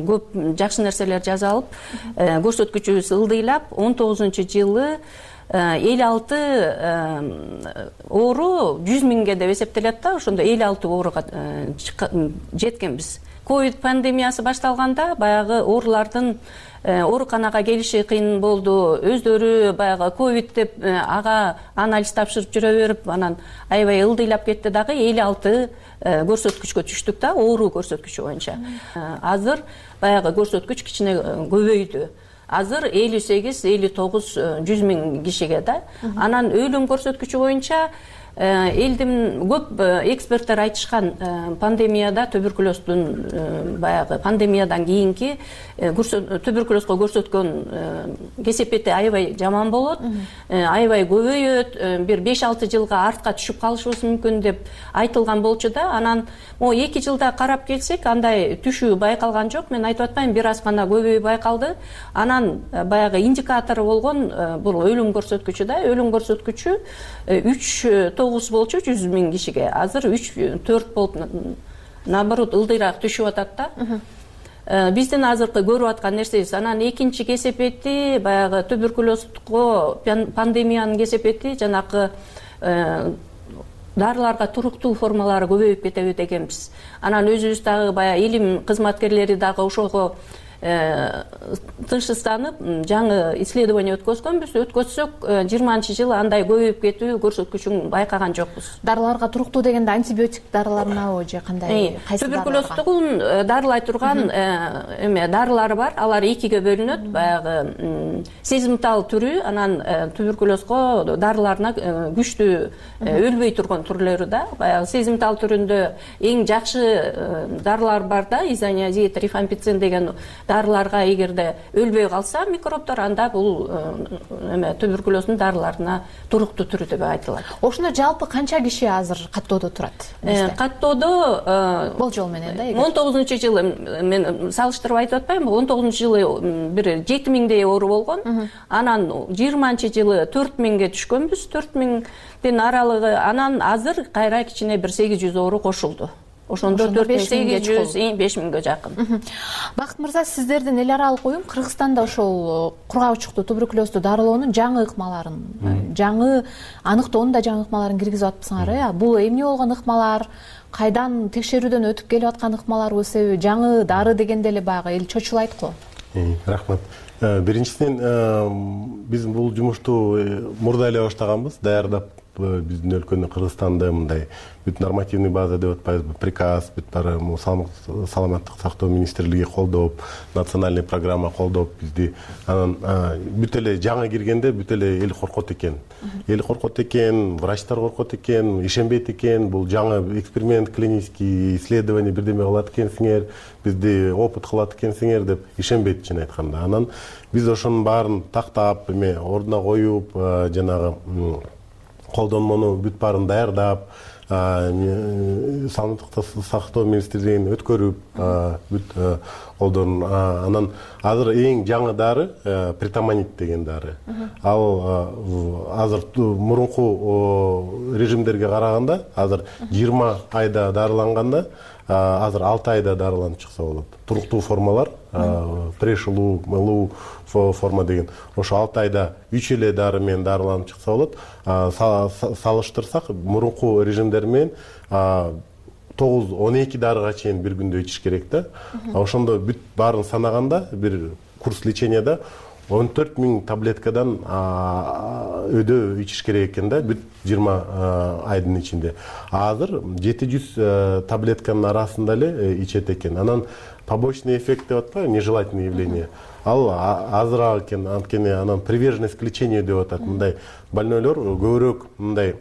көп жакшы нерселер жасалып, көрсөткүчүбүз ылдыйлап, 19-жылы 56 оору 100 миңге деп эсептелет да. Ошондо 56 ооруга жеткенбиз. Ковид пандемиясы башталганда баягы оорулардын ооруканага келиши кыйын болду. Өздөрү баягы ковид деп ага анализ тапшырып жүрө берип, анан аябай ылдыйлап кетти дагы 56 көрсөткүчкө түштүк да, оору көрсөткүчү боюнча. Азыр баягы көрсөткүч кичине көбөйдү. Азыр 58-59 100 миң кишиге да. Анан өлүм көрсөткүчү боюнча элдин көп эксперттер айтышкан, пандемияда туберкулездун баягы пандемиядан кийинки туберкулезго көрсөткөн кесепети аябай жаман болот, аябай көбөйөт, бир 5-6 жылга артка түшүп калышыбыз мүмкүн деп айтылган болчу да. Анан 2 жылда карап келсек, андай түшүү байкалган жок. Мен айтып атпайм, бир аз гана көбөйүү байкалды. Анан баягы индикатору болгон бул өлүм көрсөткүчү да. Өлүм көрсөткүчү 3-9 болчу 100 миң кишиге. Азыр 3-4 болуп, наоборот, ылдыйраак түшүп атат да. Биздин азыркы көрүп аткан нерсебиз. Анан экинчи кесепети баягы туберкулезго пандемиянын кесепети жанакы дарыларга туруктуу формалары көбөйүп кетеби дегенбиз. Анан өзүбүз дагы баягы илим кызматкерлери дагы ошого тынчсызданып жаңы исследование өткөзгөнбүз. Өткөзсөк 20-жылы андай көбөйүп кетүү көрсөткүчүн байкаган жокпуз. Дарыларга туруктуу дегенде антибиотик дарыларынабы же кандай? Туберкулездугун дарылай турган дарылар бар. Алар экиге бөлүнөт. Баягы сезимтал түрү, анан туберкулезго дарыларына күчтүү өлбөй турган түрлөрү да. Баягы сезимтал түрүндө эң жакшы дарылар бар да, изониазид, рифампицин деген дарыларга эгерде өлбөй калса микробдор, анда бул туберкулездун дарыларына туруктуу түрү деп айтылат. Ошондо жалпы канча киши азыр каттоодо турат? Каттоодо болжол менен да. 19-жылы мен салыштырып айтып атпаймынбы? 19-жылы бир 7000дей оору болгон. Анан 20-жылы 4000ге түшкөнбүз. 4000дин аралыгы. Анан азыр кайра кичине бир 800 оору кошулду. Ошондо 4800, 5000ге жакын. Бакыт мырза, сиздердин эл аралык уюм Кыргызстанда ошол кургак туберкулезду дарылоонун жаңы ыкмаларын, жаңы аныктоонун да жаңы ыкмаларын киргизип атпсыңар. Бул эмне болгон ыкмалар? Кайдан текшерүүдөн өтүп келип аткан ыкмаларбы, себеби жаңы дары дегенде эле баягы эл чочулайт го. Рахмат. Биринчиден биз бул жумушту мурда эле баштаганбыз, даярдап биздин өлкөнү, Кыргызстанды мындай бүт нормативный база деп атпайбызбы, приказ, бүт баары саламаттык сактоо министрлиги колдоп, национальный программа колдоп бизди. Анан бүт эле жаңы киргенде бүт эле эл коркот экен. Эл коркот экен, врачтар коркот экен, ишенбейт экен. Бул жаңы эксперимент, клинический исследование бирдеме кылат экенсиңер, бизди опыт кылат экенсиңер деп ишенбейт, чын айтканда. Анан биз ошонун баарын тактап, ордуна коюп, жанагы колдонмону бүт баарын даярдап, саламаттык сактоо министрлигин өткөрүп, бүт колдон. Анан азыр эң жаңы дары притаманит деген дары. Ал азыр мурунку режимдерге караганда, азыр 20 айда дарыланганда, азыр 6 айда дарыланып чыкса болот. Туруктуу формалар, прешылуу, мылуу форма деген. Ошо 6 айда 3 эле дары менен дарыланып чыкса болот. Салыштырсак, мурунку режимдер менен 9-12 дарыга чейин бир күндө ичиш керек да. Ошондо бүт баарын санаганда, бир курс леченияда 14 000 таблеткадан өдө ичиш керек экен да, бүт 20 айдын ичинде. Азыр 700 таблетканын арасында эле ичет экен. Анан побочный эффект деп атпайбы, нежелательное явление. Ал азыраак экен, анткени анан приверженность к лечению деп атат. Мындай больнойлор көбүрөөк мындай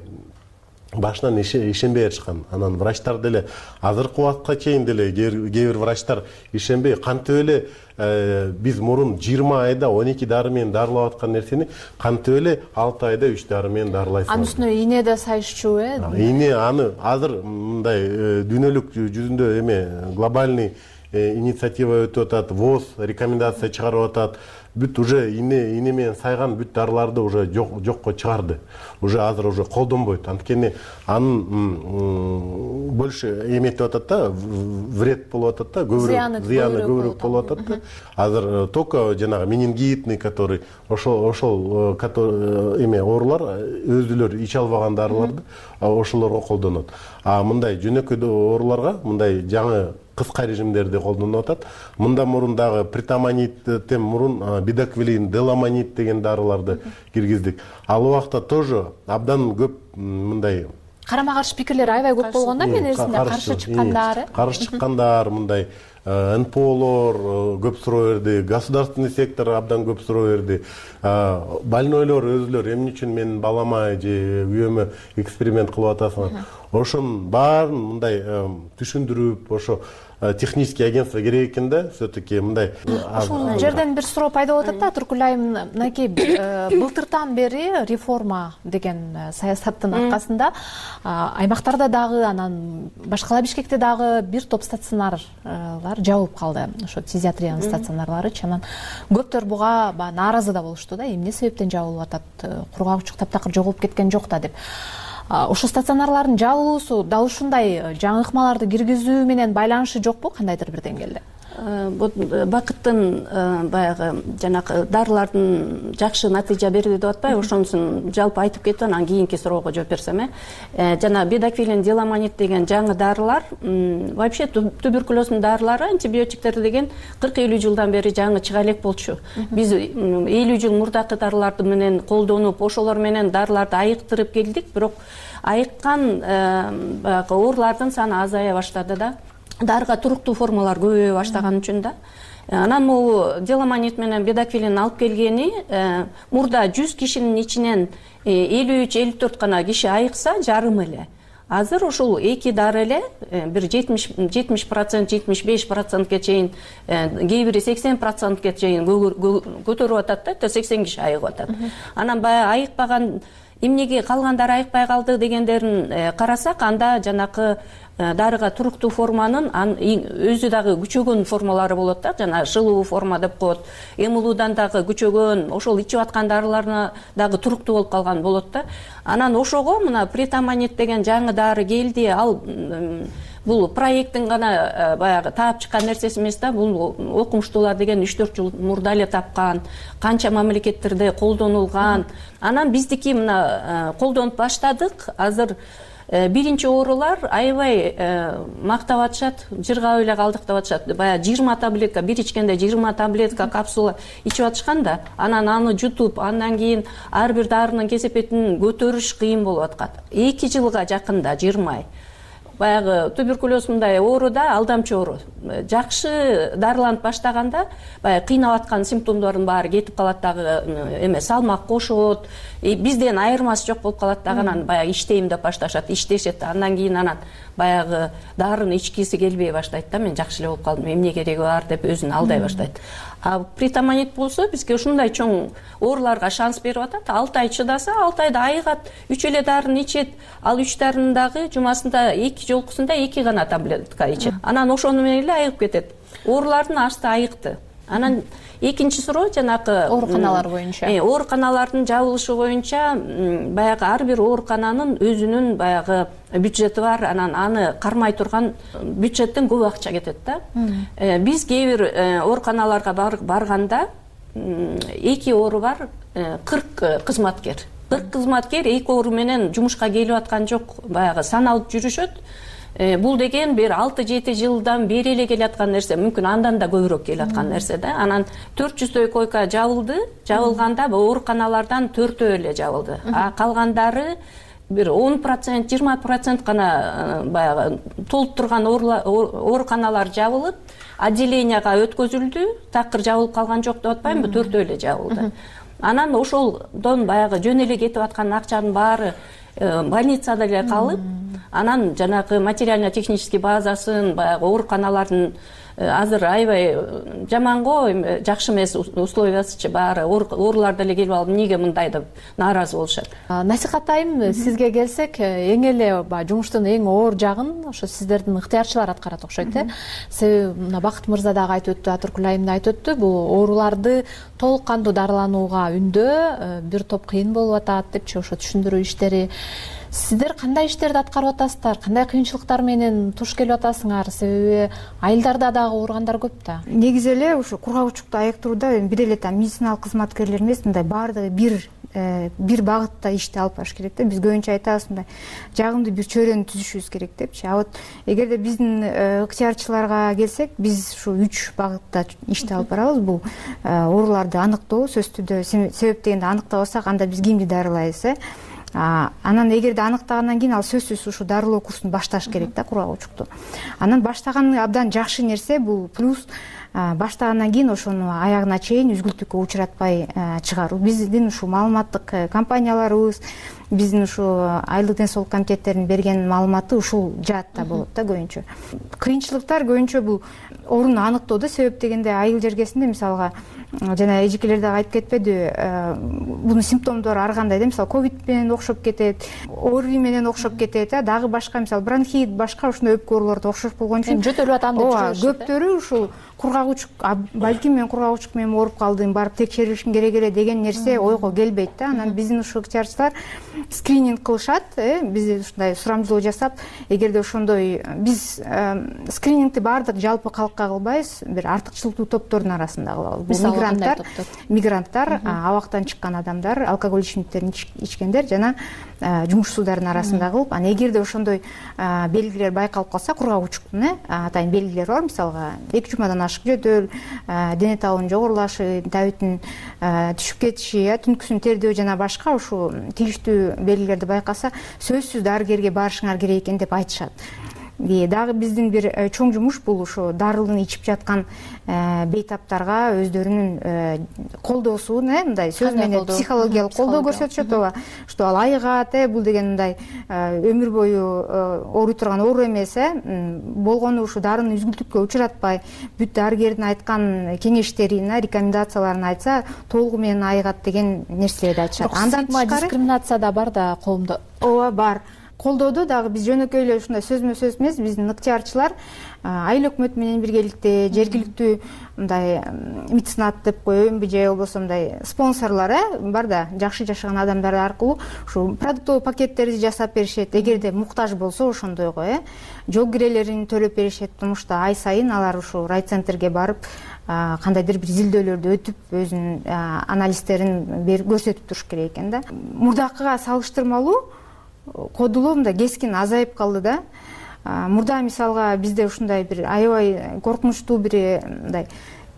башынан ишенбей атышкан. Анан врачтар деле азыркы убакытка чейин деле кээ бир врачтар ишенбей, кантип эле биз мурун 20 айда 12 дары менен дарылап аткан нерсени кантип эле 6 айда 3 дары менен дарылайсың. Анын үстүнө ийне да сайышчу, Ийне аны азыр мындай дүйнөлүк жүзүндө глобальный инициатива өтүп атат, ВОЗ рекомендация чыгарып атат. Бүт уже ийне менен сайган бүт дарыларды уже жокко чыгарды. Уже азыр уже колдонбойт. Анткени анын больше эметип атат да, вред болуп атат да, зыяны көбүрөөк болуп атат да. Азыр только жанагы менингитный, который ошол оорулар өзүлөр иче албаган дарыларды ошолорго колдонот. А мындай жөнөкөй ооруларга мындай жаңы кыска режимдерди колдонуп атат. Мында мурун дагы притаманиттен мурун бидоквилин, деламонит деген дарыларды киргиздик. Ал убакта тоже абдан көп мындай карама каршы пикирлер аябай көп болгон да, мен эсимде каршы чыккандар, мындай НПОлор көп суроо берди, государственный сектор абдан көп суроо берди. Больнойлор өзүлөр эмне үчүн менин балама же үйөмө эксперимент кылып атасыңар? Ошонун баарын мындай түшүндүрүп, ошо технический агентство керек экен да, все-таки мындай. Ошол жерден бир суроо пайда болуп атат да, Туркулай мынакей былтыртан бери реформа деген саясаттын аркасында аймактарда дагы, анан башкала Бишкекте дагы бир топ стационарлар жабылып калды. Ошо фтизиатриянын стационарлары. Анан көптөр буга нааразы да болушту да, эмне себептен жабылып атат, кургак учук таптакыр жоголуп кеткен жок да деп. Ошо стационарлардын жабылуусу дал ушундай жаңы ыкмаларды киргизүү менен байланышы жокпу, кандайдыр бир деңгээлде? бакыттын баягы жанагы дарылардын жакшы натыйжа берди деп атпайбы, ошонусун жалпы айтып кетип анан кийинки суроого жооп берсем, жана бедоквилин, деламонид деген жаңы дарылар, вообще туберкулездун дарылары, антибиотиктер деген 40-50 жылдан бери жаңы чыга элек болчу. Биз 50 жыл мурдакы дарыларды менен колдонуп, ошолор менен дарыларды айыктырып келдик, бирок айыккан баягы оорулардын саны азая баштады да. Дарыга туруктуу формалар көбөйө баштаган үчүн да. Анан могу деламонид менен бедоквилин алып келгени, мурда 100 кишинин ичинен 53-54 гана киши айыкса, жарым эле. Азыр ушул эки дары эле бир 70%, 75%ке чейин, кээ бири 80%ке чейин көтөрүп атат да, 80 киши айыгып атат. Анан баягы айыкпаган, эмнеге калгандар айыкпай калды дегендерин карасак, анда жанакы дарыга туруктуу форманын өзү дагы күчөгөн формалары болот да, жана жылуу форма деп коет. Эмулуудан дагы күчөгөн, ошол ичип аткан дарыларына дагы туруктуу болуп калган болот да. Анан ошого мына притамонид деген жаңы дары келди. Ал бул проекттин гана баягы таап чыккан нерсеси эмес да, бул окумуштуулар деген 3-4 жыл мурда эле тапкан, канча мамлекеттерде колдонулган. Анан биздики мына колдонуп баштадык. Азыр биринчи оорулар аябай мактап атышат, жыргап эле калдык деп атышат. Баягы 20 таблетка, бир ичкенде 20 таблетка капсула ичип атышкан да, анан аны жутуп, андан кийин ар бир дарынын кесепетин көтөрүш кыйын болуп аткан. 2 жылга жакында 20 ай. Баягы туберкулез мындай оору да, алдамчы оору. Жакшы дарыланып баштаганда, баягы кыйнап аткан симптомдордун баары кетип калат дагы, эме салмак кошот, бизден айырмасы жок болуп калат дагы, анан баягы иштейм деп башташат, иштешет. Андан кийин анан баягы дарыны ичкиси келбей баштайт да, мен жакшы эле болуп калдым, эмне кереги бар деп өзүн алдай баштайт. А притамонид болсо бизге ушундай чоң ооруларга шанс берип атат. 6 ай чыдаса, 6 айда айыгат, 3 эле дарыны ичет. Ал 3 дарынын дагы жумасында 2 жолкусунда 2 гана таблетка ичет. Анан ошону менен эле айыгып кетет. Оорулардын ашты айыкты. Анан экинчи суроо жанакы ооруканалар боюнча. Ооруканалардын жабылышы боюнча баягы ар бир оорукананын өзүнүн баягы бюджети бар, анан аны кармай турган бюджеттен көп акча кетет да. Биз кээ бир ооруканаларга барганда 2 оору бар, 40 кызматкер. 40 кызматкер 2 оору менен жумушка келип аткан жок, баягы саналып жүрүшөт. Бул деген бир 6-7 жылдан бери эле келаткан нерсе, мүмкүн андан да көбүрөөк келаткан нерсе да. Анан 400 койка жабылды. Жабылганда ооруканалардан 4 эле жабылды. А калгандары бир 10%, 20% гана баягы толуп турган ооруканалар жабылып, отделенияга өткөзүлдү. Такыр жабылып калган жок деп атпаймынбы, 4 эле жабылды. Анан ошолдон баягы жөн эле кетип аткан акчанын баары больницада эле калып, анан жанагы материально-технический базасын, баягы ооруканалардын азыр аябай жаман го, жакшы эмес условиясычы баары, оорулар деле келип алып, эмнеге мындай деп нааразы болушат. Насихат сизге келсек, эң эле жумуштун эң оор жагын ошо сиздердин ыктыярчылар аткарат окшойт, Себеби мына Бакыт мырза дагы айтып өттү, Атыркүл айым да айтып өттү, бул ооруларды толук кандуу дарыланууга үндөө бир топ кыйын болуп атат депчи, ошо түшүндүрүү иштери. Сиздер кандай иштерди аткарып атасыздар? Кандай кыйынчылыктар менен туш келип атасыңар? Себеби айылдарда дагы ооругандар көп да. Негизи эле ушу кургагучтукту айыктырууда бир эле медициналык кызматкерлер эмес, мындай баардыгы бир багытта ишти алып барыш керек да. Биз көбүнчө айтабыз, мындай жагымдуу бир чөйрөнү түзүшүбүз керек депчи. А вот эгерде биздин ыктыярчыларга келсек, биз ушу 3 багытта ишти алып барабыз. Бул ооруларды аныктоо, сөзсүз түрдө себеп дегенде аныктабасак, анда биз кимди дарылайбыз, Анан эгерде аныктагандан кийин ал сөзсүз ушу дарылоо курсун башташ керек да, кургагучтукту. Анан баштаган абдан жакшы нерсе бул плюс баштагандан кийин ошону аягына чейин үзгүлтүккө учуратпай чыгаруу. Биздин ушу маалыматтык компанияларыбыз, биздин ушу айылдык ден соолук комитеттеринин берген маалыматы ушул жаатта болот да көбүнчө. Кыйынчылыктар көбүнчө бул ооруну аныктоодо, себеп дегенде айыл жергесинде мисалга жана эжекелер дагы айтып кетпеди, бунун симптомдору ар кандай да, мисалы ковид менен окшоп кетет, ОРВИ менен окшоп кетет, дагы башка мисалы бронхит, башка ушундай өпкө оорулорду окшош болгон үчүн жөтөлүп атам деп жүрүшөт. Көптөрү ушул кургагучук, балким мен кургагучук менен ооруп калдым, барып текшерилишим керек эле деген нерсе ойго келбейт да. Анан биздин ушул ыкчарчылар скрининг кылышат, биз ушундай сурамжылоо жасап, эгерде ошондой биз скринингти баардык жалпы калкка кылбайбыз, бир артыкчылыктуу топтордун арасында кылабыз. Бул мигранттар, абактан чыккан адамдар, алкоголь ичимдиктерин ичкендер жана жумушсуздардын арасында кылып, анан эгерде ошондой белгилер байкалып калса, кургагучуктун атайын белгилери бар, мисалга 2 жумадан ашык жөтөл, дене табынын жогорулашы, табиттин түшүп кетиши, түнкүсүн тердөө жана башка ушул тийиштүү белгилерди байкаса, сөзсүз дарыгерге барышыңар керек экен деп айтышат. Дагы биздин бир чоң жумуш бул ушу дарылын ичип жаткан бейтаптарга өздөрүнүн колдоосун, мындай сөз менен психологиялык колдоо көрсөтүшөт, ооба. Что ал айыгат, бул деген мындай өмүр бою ооруй турган оору эмес, болгону ушу дарыны үзгүлтүккө учуратпай, бүт дарыгердин айткан кеңештерин, рекомендацияларын айтса, толугу менен айыгат деген нерселерди айтышат. Андан тышкары дискриминация да бар да коомдо. Ооба, бар. Колдоодо дагы биз жөнөкөй эле ушундай сөзмө сөз эмес, биздин ыктыярчылар айыл өкмөтү менен биргеликте жергиликтүү мындай меценат деп коеюнбу, же болбосо мындай спонсорлор бар да, жакшы жашаган адамдар аркылуу ушу продуктовый пакеттерди жасап беришет. Эгерде муктаж болсо ошондойго жол кирелерин төлөп беришет, потому что ай сайын алар ушу райцентрге барып кандайдыр бир изилдөөлөрдү өтүп, өзүнүн анализдерин көрсөтүп туруш керек экен да. Мурдакыга салыштырмалуу кодулоо мындай кескин азайып калды да. Мурда мисалга бизде ушундай бир аябай коркунучтуу бир мындай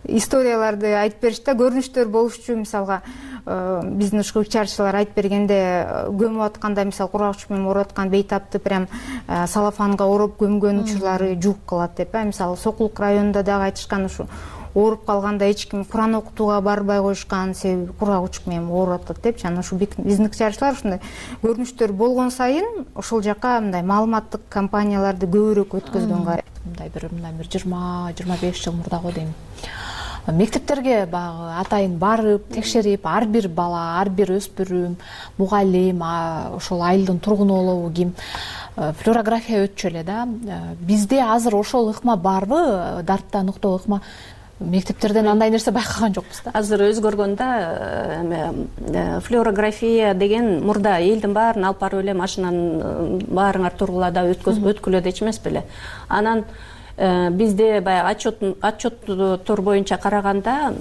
историяларды айтып беришти, көрүнүштөр болушчу. Мисалга биздин ушул ыкчарчылар айтып бергенде, көмүп атканда, мисалы кургагучук менен ооруп аткан бейтапты прям салафанга ороп көмгөн учурлары жууп калат деп. Мисалы Сокулук районунда дагы айтышкан, ушу ооруп калганда эч ким Куран окутууга барбай коюшкан, себеби кургагучук менен ооруп атат деп. Жана ушу биздин ыкчарчылар ушундай көрүнүштөр болгон сайын ошол жака мындай маалыматтык кампанияларды көбүрөөк өткөзгөнгө аракет. Мындай бир 20-25 жыл мурда го дейм. Мектептерге баягы атайын барып, текшерип, ар бир бала, ар бир өспүрүм, мугалим, ошол айылдын тургуну болобу ким флюорография өтчү эле да. Бизде азыр ошол ыкма барбы? Дарттан уктоо ыкма мектептерден андай нерсе байкаган жокпуз да. Азыр өзгөргөн да. Флюорография деген мурда элдин баарын алып барып эле машинанын баарыңар тургула да өткүлө да эч эмес беле. Анан бизде баягы отчеттор боюнча караганда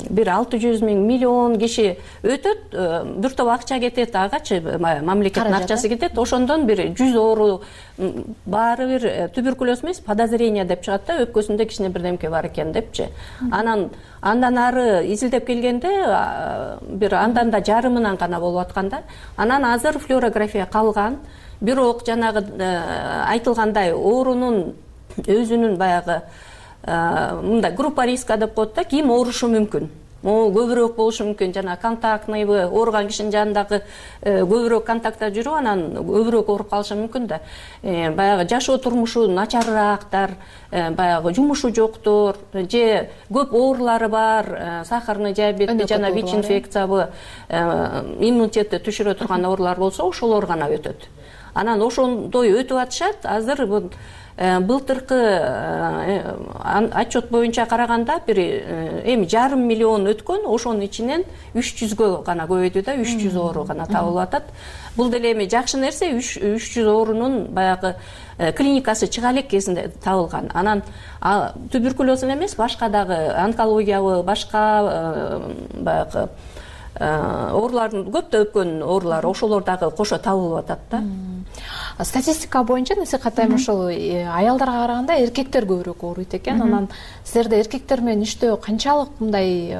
бир 600 миллион киши өтөт, бир топ акча кетет, агачы мамлекеттин акчасы кетет. Ошондон бир 100 оору баары бир туберкулез эмес, подозрение деп чыгат да, өпкөсүндө кичине бирдемке бар экен депчи. Андан ары изилдеп келгенде бир андан да жарымынан гана болуп атканда, анан азыр флюорография калган. Бирок жанагы айтылгандай оорунун өзүнүн баягы мындай группа риска деп коет да, ким оорушу мүмкүн. Могу көбүрөөк болушу мүмкүн, жана контактныйбы, ооруган кишинин жанындагы көбүрөөк контактта жүрүп, анан көбүрөөк ооруп калышы мүмкүн да. Баягы жашоо турмушу начарраактар, баягы жумушу жоктор, же көп оорулары бар, сахарный диабет жана ВИЧ-инфекциябы, иммунитетти түшүрө турган оорулар болсо, ошолор гана өтөт. Анан ошондой өтүп атышат. Азыр былтыркы отчет боюнча караганда бир эми 500 миллион өткөн, ошонун ичинен 300гө гана көбөйдү да, 300 оору гана табылып атат. Бул деле эми жакшы нерсе, 300 оорунун баягы клиникасы чыга элек кезинде табылган. Анан туберкулез эмес, башка дагы онкологиябы, башка баягы оорулардын көптөгөн оорулар ошолор дагы кошо табылып атат да. Статистика боюнча насихаттайм, ошол аялдарга караганда эркектер көбүрөөк ооруйт экен. Анан силерде эркектер менен иштөө канчалык мындай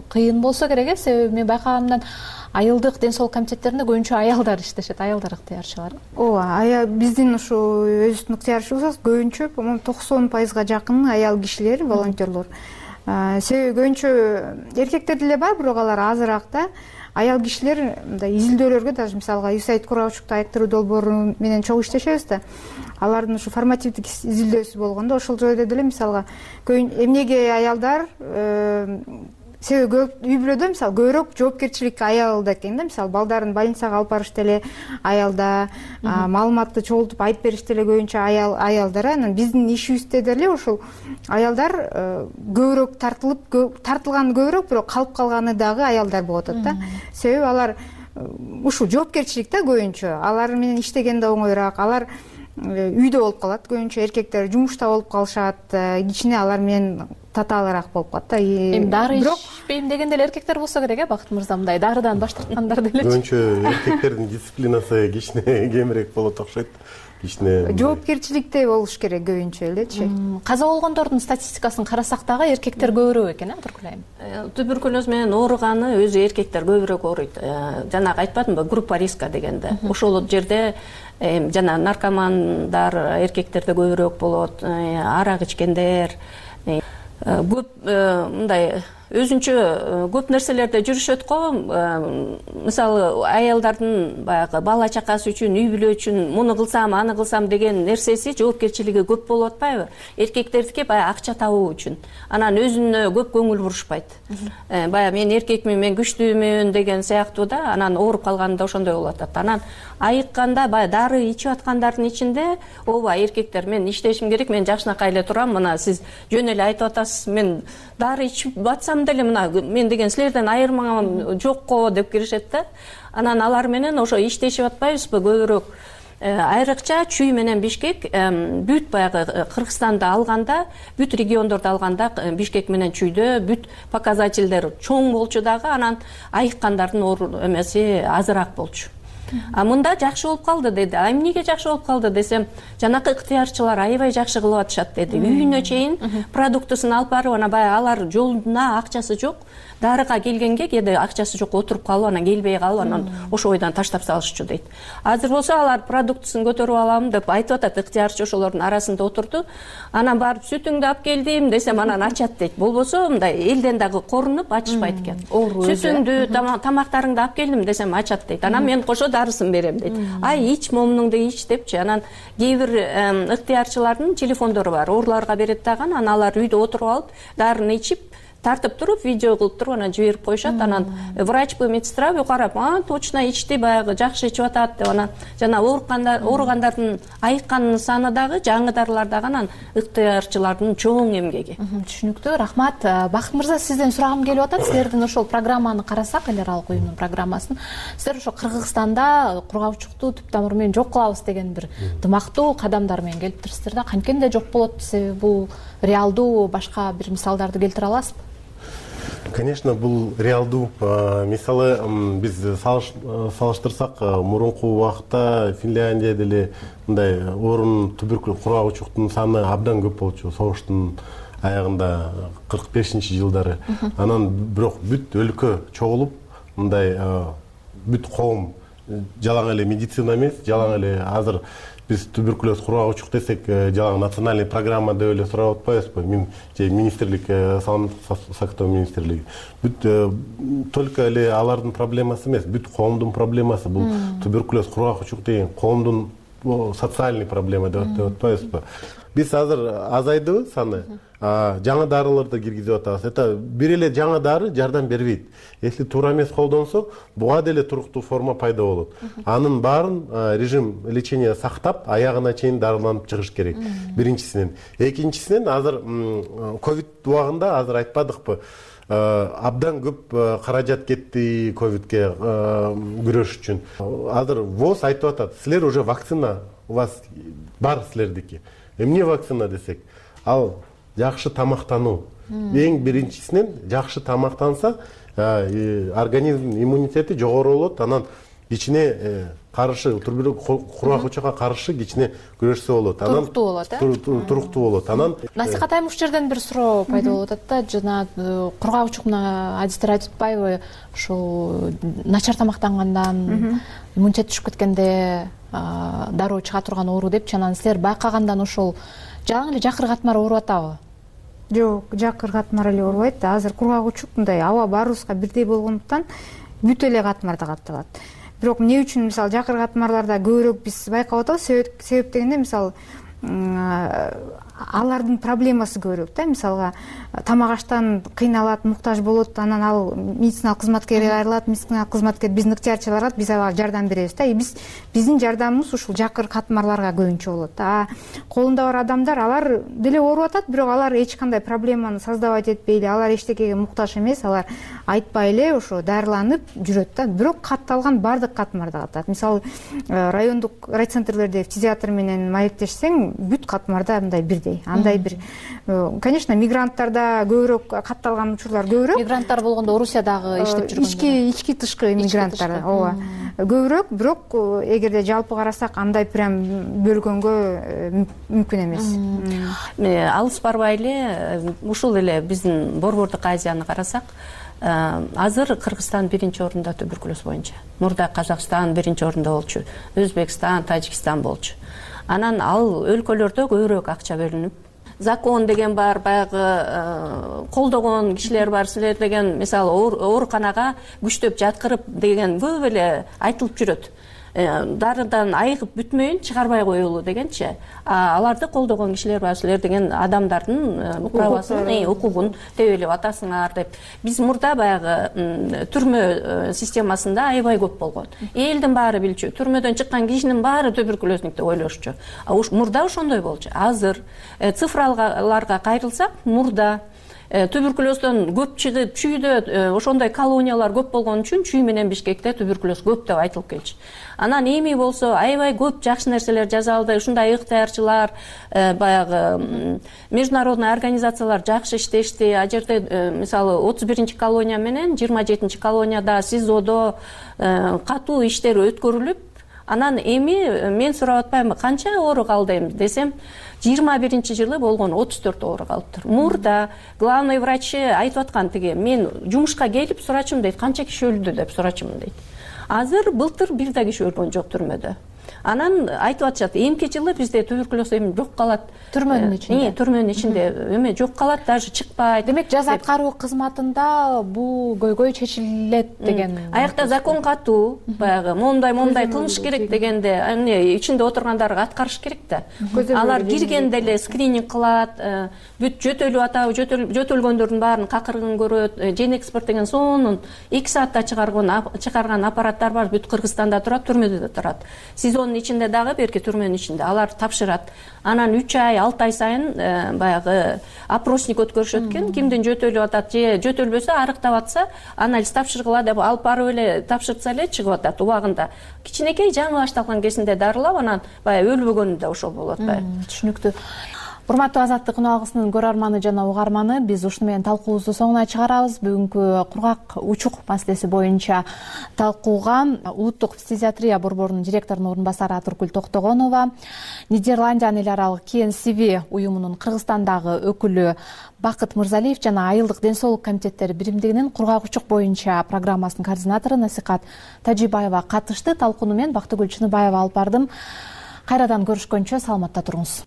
кыйын болсо керек? Себеби мен байкаганымдан айылдык ден соолук комитеттеринде көбүнчө аялдар иштешет, аялдар ыктыярчылар. Ооба, биздин ушу өзүбүздүн ыктыярчыбыз көбүнчө 90% жакын аял кишилер, волонтерлор. Себеби көбүнчө эркектер деле бар, бирок алар азыраак да. Аял кишилер мындай изилдөөлөргө, даже мисалга USAID кургагучукту айыктыруу долбоору менен чогуу иштешебиз да. Алардын ушу формативдик изилдөөсү болгондо ошол жайда деле мисалга эмнеге аялдар себеби үй бүлөдө мисалы көбүрөөк жоопкерчилик аялда экен да, мисалы балдарын больницага алып барыш деле аялда, маалыматты чогултуп айтып бериш деле көбүнчө аялдар. Анан биздин ишибизде деле ушул аялдар көбүрөөк тартылганы көбүрөөк, бирок калып калганы дагы аялдар болуп атат да. Себеби алар ушул жоопкерчилик да көбүнчө алар менен иштеген да оңоюраак, алар үйдө болуп калат, көбүнчө эркектер жумушта болуп калышат, кичине алар менен татаалыраак болуп калат да. Эми дары ичпейм деген деле эркектер болсо керек, Бакыт мырза, мындай дарыдан баш тарткандар делечи. Көбүнчө эркектердин дисциплинасы кичине кемирээк болот окшойт. Кичине жоопкерчиликте болуш керек көбүнчө элечи. Каза болгондордун статистикасын карасак дагы эркектер көбүрөөк экен, туркулайм. Туберкулез менен ооруганы өзү эркектер көбүрөөк ооруйт. Жанагы айтпадымбы, группа риска дегенде. Ошол жерде жана наркомандар эркектерде көбүрөөк болот, арак ичкендер, көп мындай өзүнчө көп нерселерде жүрүшөт го. Мисалы аялдардын баягы бала чакасы үчүн, үй бүлө үчүн муну кылсам, аны кылсам деген нерсеси, жоопкерчилиги көп болуп атпайбы? Эркектердики баягы акча табуу үчүн. Анан өзүнө көп көңүл бурушпайт. Баягы мен эркекмин, мен күчтүүмүн деген сыяктуу да. Анан ооруп калганда ошондой болуп атат. Анан айыкканда баягы дары ичип аткандардын ичинде ооба эркектер мен иштешим керек, мен жакшынакай эле турам, мына сиз жөн эле айтып атасыз, мен дары ичип батсам деле мына мен деген силерден айырмам жок го деп киришет да. Анан алар менен ошо иштешип атпайбызбы көбүрөөк. Айрыкча Чүй менен Бишкек бүт баягы Кыргызстанды алганда, бүт региондорду алганда Бишкек менен Чүйдө бүт показательдер чоң болчу дагы, анан айыккандардын эмеси азыраак болчу. Мында жакшы болуп калды деди. Эмнеге жакшы болуп калды десем, жанакы ыктыярчылар аябай жакшы кылып атышат деди. Үйүнө чейин продуктысын алып барып, ана баягы алар жолуна акчасы жок, дарыга келгенге кээде акчасы жок, отуруп калып, анан келбей калып, анан ошо ойдан таштап салышчу дейт. Азыр болсо алар продуктысын көтөрүп алам деп айтып атат, ыктыярчы ошолордун арасында отурду. Анан барып сүтүңдү алып келдим десем, анан ачат дейт. Болбосо мындай элден дагы корунуп ачышпайт экен. Сүтүңдү, тамактарыңды алып келдим десем ачат дейт. Анан мен кошо дарысын берем дейт. Ай ич, момунуңду ич депчи. Анан кээ бир ыктыярчылардын телефондору бар, ооруларга берет дагы, анан алар үйдө отуруп алып, дарыны ичип, тартып туруп, видео кылып туруп, анан жиберип коюшат. Анан врачпы, медсестра карап, точно ичти, баягы жакшы ичип атат деп. Анан жана ооругандардын айыкканын саны дагы, жаңы дарылар дагы, анан ыктыярчылардын чоң эмгеги. Түшүнүктүү, рахмат. Бакыт мырза, сизден сурагым келип атат. Силердин ошол программаны карасак, эл аралык уюмдун программасын, силер ошо Кыргызстанда кургавчукту түп тамыры менен жок кылабыз деген бир дымактуу кадамдар менен келиптирсиздер да. Канткенде жок болот, себеби бул реалдуу башка бир мисалдарды келтире аласызбы? Конечно, бул реалдуу. Мисалы, биз салыштырсак, мурунку убакта Финляндия деле мындай орун туберкулез кургагучуктун саны абдан көп болчу, согуштун аягында 45-жылдары. Анан бирок бүт өлкө чогулуп, мындай бүт коом, жалаң эле медицина эмес, жалаң эле азыр биз туберкулез кургагучук десек, жалаң национальный программа деп эле сурап атпайбызбы? Же министрлик, саламаттык сактоо министрлиги. Бүт только эле алардын проблемасы эмес, бүт коомдун проблемасы. Бул туберкулез кургагучук деген коомдун социальный проблема деп атпайбызбы? Биз азыр азайдыбы саны? Жаңы дарыларды киргизип атабыз. Это бир эле жаңы дары жардам бербейт. Если туура эмес колдонсо, буга деле туруктуу форма пайда болот. Анын баарын режим лечения сактап, аягына чейин дарыланып чыгыш керек. Биринчисинен. Экинчисинен, азыр ковид убагында азыр айтпадыкпы, абдан көп каражат кетти ковидке күрөш үчүн. Азыр ВОЗ айтып атат, силер уже вакцина у вас бар силердики. Эмне вакцина десек, ал жакшы тамактануу. Эң биринчисинен жакшы тамактанса, организм иммунитети жогору болот, анан кичине каршы кургагучукка каршы кичине күрөшсө болот. Анан туруктуу болот. Анан Насихат айым, ушул жерден бир суроо пайда болуп атат да, жана кургагучукна адистер айтып атпайбы, ушул начар тамактангандан, иммунитет түшүп кеткенде дароо чыга турган оору депчи. Анан силер байкагандан ошол жалаң эле жакыр катмар ооруп атабы? Жок, жакыр катмар эле оорубайт. Азыр кургагучук мындай аба баарыбызга бирдей болгондуктан бүт эле катмарда катталат. Бирок эмне үчүн мисалы жакыр катмарларда көбүрөөк биз байкап атабыз? Себеп дегенде мисалы алардын проблемасы көбүрөөк да. Мисалга тамак аштан кыйналат, муктаж болот, анан ал медициналык кызматкерге кайрылат, медициналык кызматкер биздин ыктыярчы барат, биз ага жардам беребиз да. Биздин жардамыбыз ушул жакыр катмарларга көбүнчө болот. Колунда бар адамдар, алар деле ооруп атат, бирок алар эч кандай проблеманы создавать этпей эле, алар эчтекеге муктаж эмес, алар айтпай эле ошо дарыланып жүрөт да. Бирок катталган баардык катмарда катат. Мисалы райондук райцентрлерде фтизиатр менен маектешсең, бүт катмарда мындай бирдей. Андай бир, конечно, мигранттарда көбүрөөк катталган учурлар көбүрөөк. Мигранттар болгондо Орусиядагы иштеп жүргөн ички тышкы мигранттар ооба көбүрөөк, бирок эгерде жалпы карасак андай прям бөлгөнгө мүмкүн эмес. Алыс барбай эле ушул эле биздин Борбордук Азияны карасак, азыр Кыргызстан биринчи орунда туберкулез боюнча. Мурда Казакстан биринчи орунда болчу, Өзбекстан, Тажикстан болчу. Анан ал өлкөлөрдө көбүрөөк акча бөлүнүп, закон деген бар, баягы колдогон кишилер бар, силер деген мисалы ооруканага күчтөп жаткырып деген көп эле айтылып жүрөт. Дарыдан айыгып бүтмөйүн чыгарбай коелу дегенчи. Аларды колдогон кишилер бар, силер деген адамдардын правасын, укугун тебелеп атасыңар деп. Биз мурда баягы түрмө системасында аябай көп болгон. Элдин баары билчү, түрмөдөн чыккан кишинин баары туберкулезник деп ойлошчу. Мурда ошондой болчу. Азыр цифраларга кайрылсак, мурда туберкулездон көп чыгып, чүйдө ошондой колониялар көп болгон үчүн Чүй менен Бишкекте туберкулез көп деп айтылып келчү. Анан эми болсо аябай көп жакшы нерселер жасалды. Ушундай ыктыярчылар, баягы международный организациялар жакшы иштешти. А жерде мисалы 31-чи колония менен 27-чи колонияда СИЗОдо катуу иштер өткөрүлүп, анан эми мен сурап атпаймынбы, канча оору калды эми десем, 21-чи жылы болгон 34 оору калыптыр. Мурда главный врачы айтып аткан тиги, мен жумушка келип сурачым дейт, канча киши өлдү деп сурачым дейт. Азыр былтыр бир да киши өлгөн жок түрмөдө. Анан айтып атышат, эмки жылы бизде туберкулез эми жок калат. Түрмөнүн ичинде. Түрмөнүн ичинде эми жок калат, даже чыкпайт. Демек, жаза аткаруу кызматында бул көйгөй чечилет деген. Аякта закон катуу, баягы момундай кылыш керек дегенде, ичинде отургандарга аткарыш керек да. Алар киргенде эле скрининг кылат, бүт жөтөлүп атабы, жөтөлгөндөрдүн баарын какыргын көрөт. Жен экспорт деген сонун 2 саатта чыгарган аппараттар бар, бүт Кыргызстанда турат, түрмөдө да турат. СИЗОнун ичинде дагы, берки түрмөнүн ичинде алар тапшырат. Анан 3 ай, 6 ай сайын баягы опросник өткөрүшөт экен, кимдин жөтөлүп атат же жөтөлбөсө, арыктап атса, анализ тапшыргыла деп алып барып эле тапшыртса эле чыгып атат убагында. Кичинекей жаңы башталган кезинде дарылап, анан баягы өлбөгөнү да ошол болуп атпайбы. Түшүнүктүү. Урматтуу Азаттык күн алгысынын көрөрманы жана угарманы, биз ушуну менен талкуубузду соңуна чыгарабыз. Бүгүнкү кургак учук маселеси боюнча талкууга Улуттук фтизиатрия борборунун директорунун орун басары Атыркүл Токтогонова, Нидерландиянын эл аралык КНСВ уюмунун Кыргызстандагы өкүлү Бакыт Мырзалиев жана Айылдык ден соолук комитеттери биримдигинин кургак учук боюнча программасынын координатору Насикат Тажибаева катышты. Талкууну мен Бактыгүл Чыныбаева алып бардым. Кайрадан көрүшкөнчө саламатта туруңуз.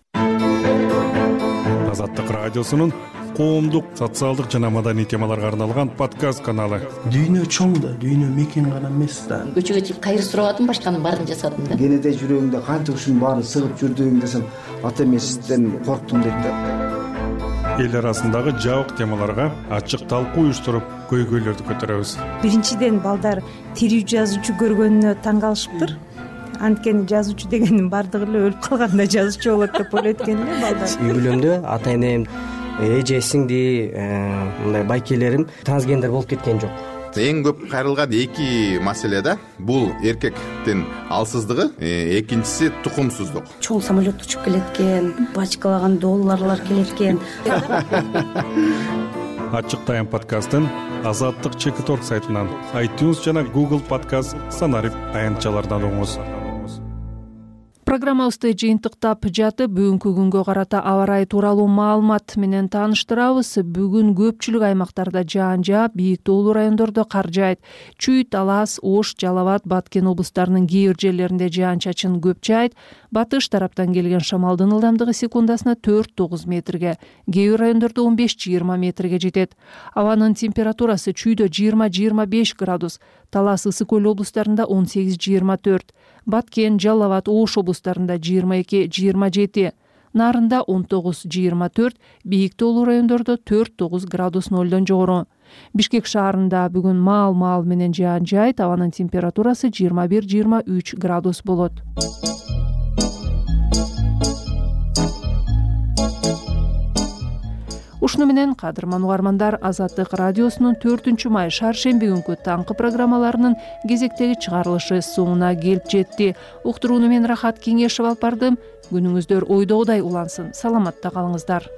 Азаттык радиосунун коомдук, социалдык жана маданий темаларга арналган подкаст каналы. Дүйнө чоң да, дүйнө мекен гана эмес да. Көчөгө чыгып кайыр сурабадым, башканын баарын жасадым да. Кенеде жүрөгүңдө канча ушунун баарын сыгып жүрдүң десем, ата эмесизден корктум дейт да. Эл арасындагы жабык темаларга ачык талкуу уюштуруп, көйгөйлөрдү көтөрөбүз. Биринчиден балдар тирүү жазуучу көргөнүнө таң калышыптыр. Анткени жазуучу дегендин баардыгы эле өлүп калганда жазуучу болот деп ойлойт экен эле балдар. Үй бүлөмдө ата энем, эже, сиңди, мындай байкелерим трансгендер болуп кеткен жок. Эң көп кайрылган эки маселе да, бул эркектин алсыздыгы, экинчиси тукумсуздук. Чоң самолет учуп келет экен, бачкалаган долларлар келет экен. Ачык тайм подкастын Азаттык ЧК сайтынан, iTunes жана Google подкаст санарип аянтчалардан угуңуз. Программабызды жыйынтыктап жатып, бүгүнкү күнгө карата аба ырайы тууралуу маалымат менен тааныштырабыз. Бүгүн көпчүлүк аймактарда жаан жаап, бийик тоолуу райондордо кар жаайт. Чүй, Талас, Ош, Жалал Абад, Баткен облустарынын кээ бир жерлеринде жаан-чачын көп жаайт. Батыш тараптан келген шамалдын ылдамдыгы секундасына 4-9 метрге, кээ бир райондордо 15-20 метрге жетет. Абанын температурасы Чүйдө 20-25 градус, Талас, Ысык көл облустарында 18-24, Баткен, Жалал Абад, Ош облустарында 22-27, Нарында 19-24, бийик тоолуу райондордо 4-9 градус нолдон жогору. Бишкек шаарында бүгүн маал менен жаан жайт, абанын температурасы 21-23 градус болот. Ушуну менен кадырман угармандар, Азаттык радиосунун 4-май шаршемби күнкү таңкы программаларынын кезектеги чыгарылышы соңуна келип жетти. Уктурууну мен Рахат Кеңешев алып бардым. Күнүңүздөр ойдогудай улансын. Саламатта калыңыздар.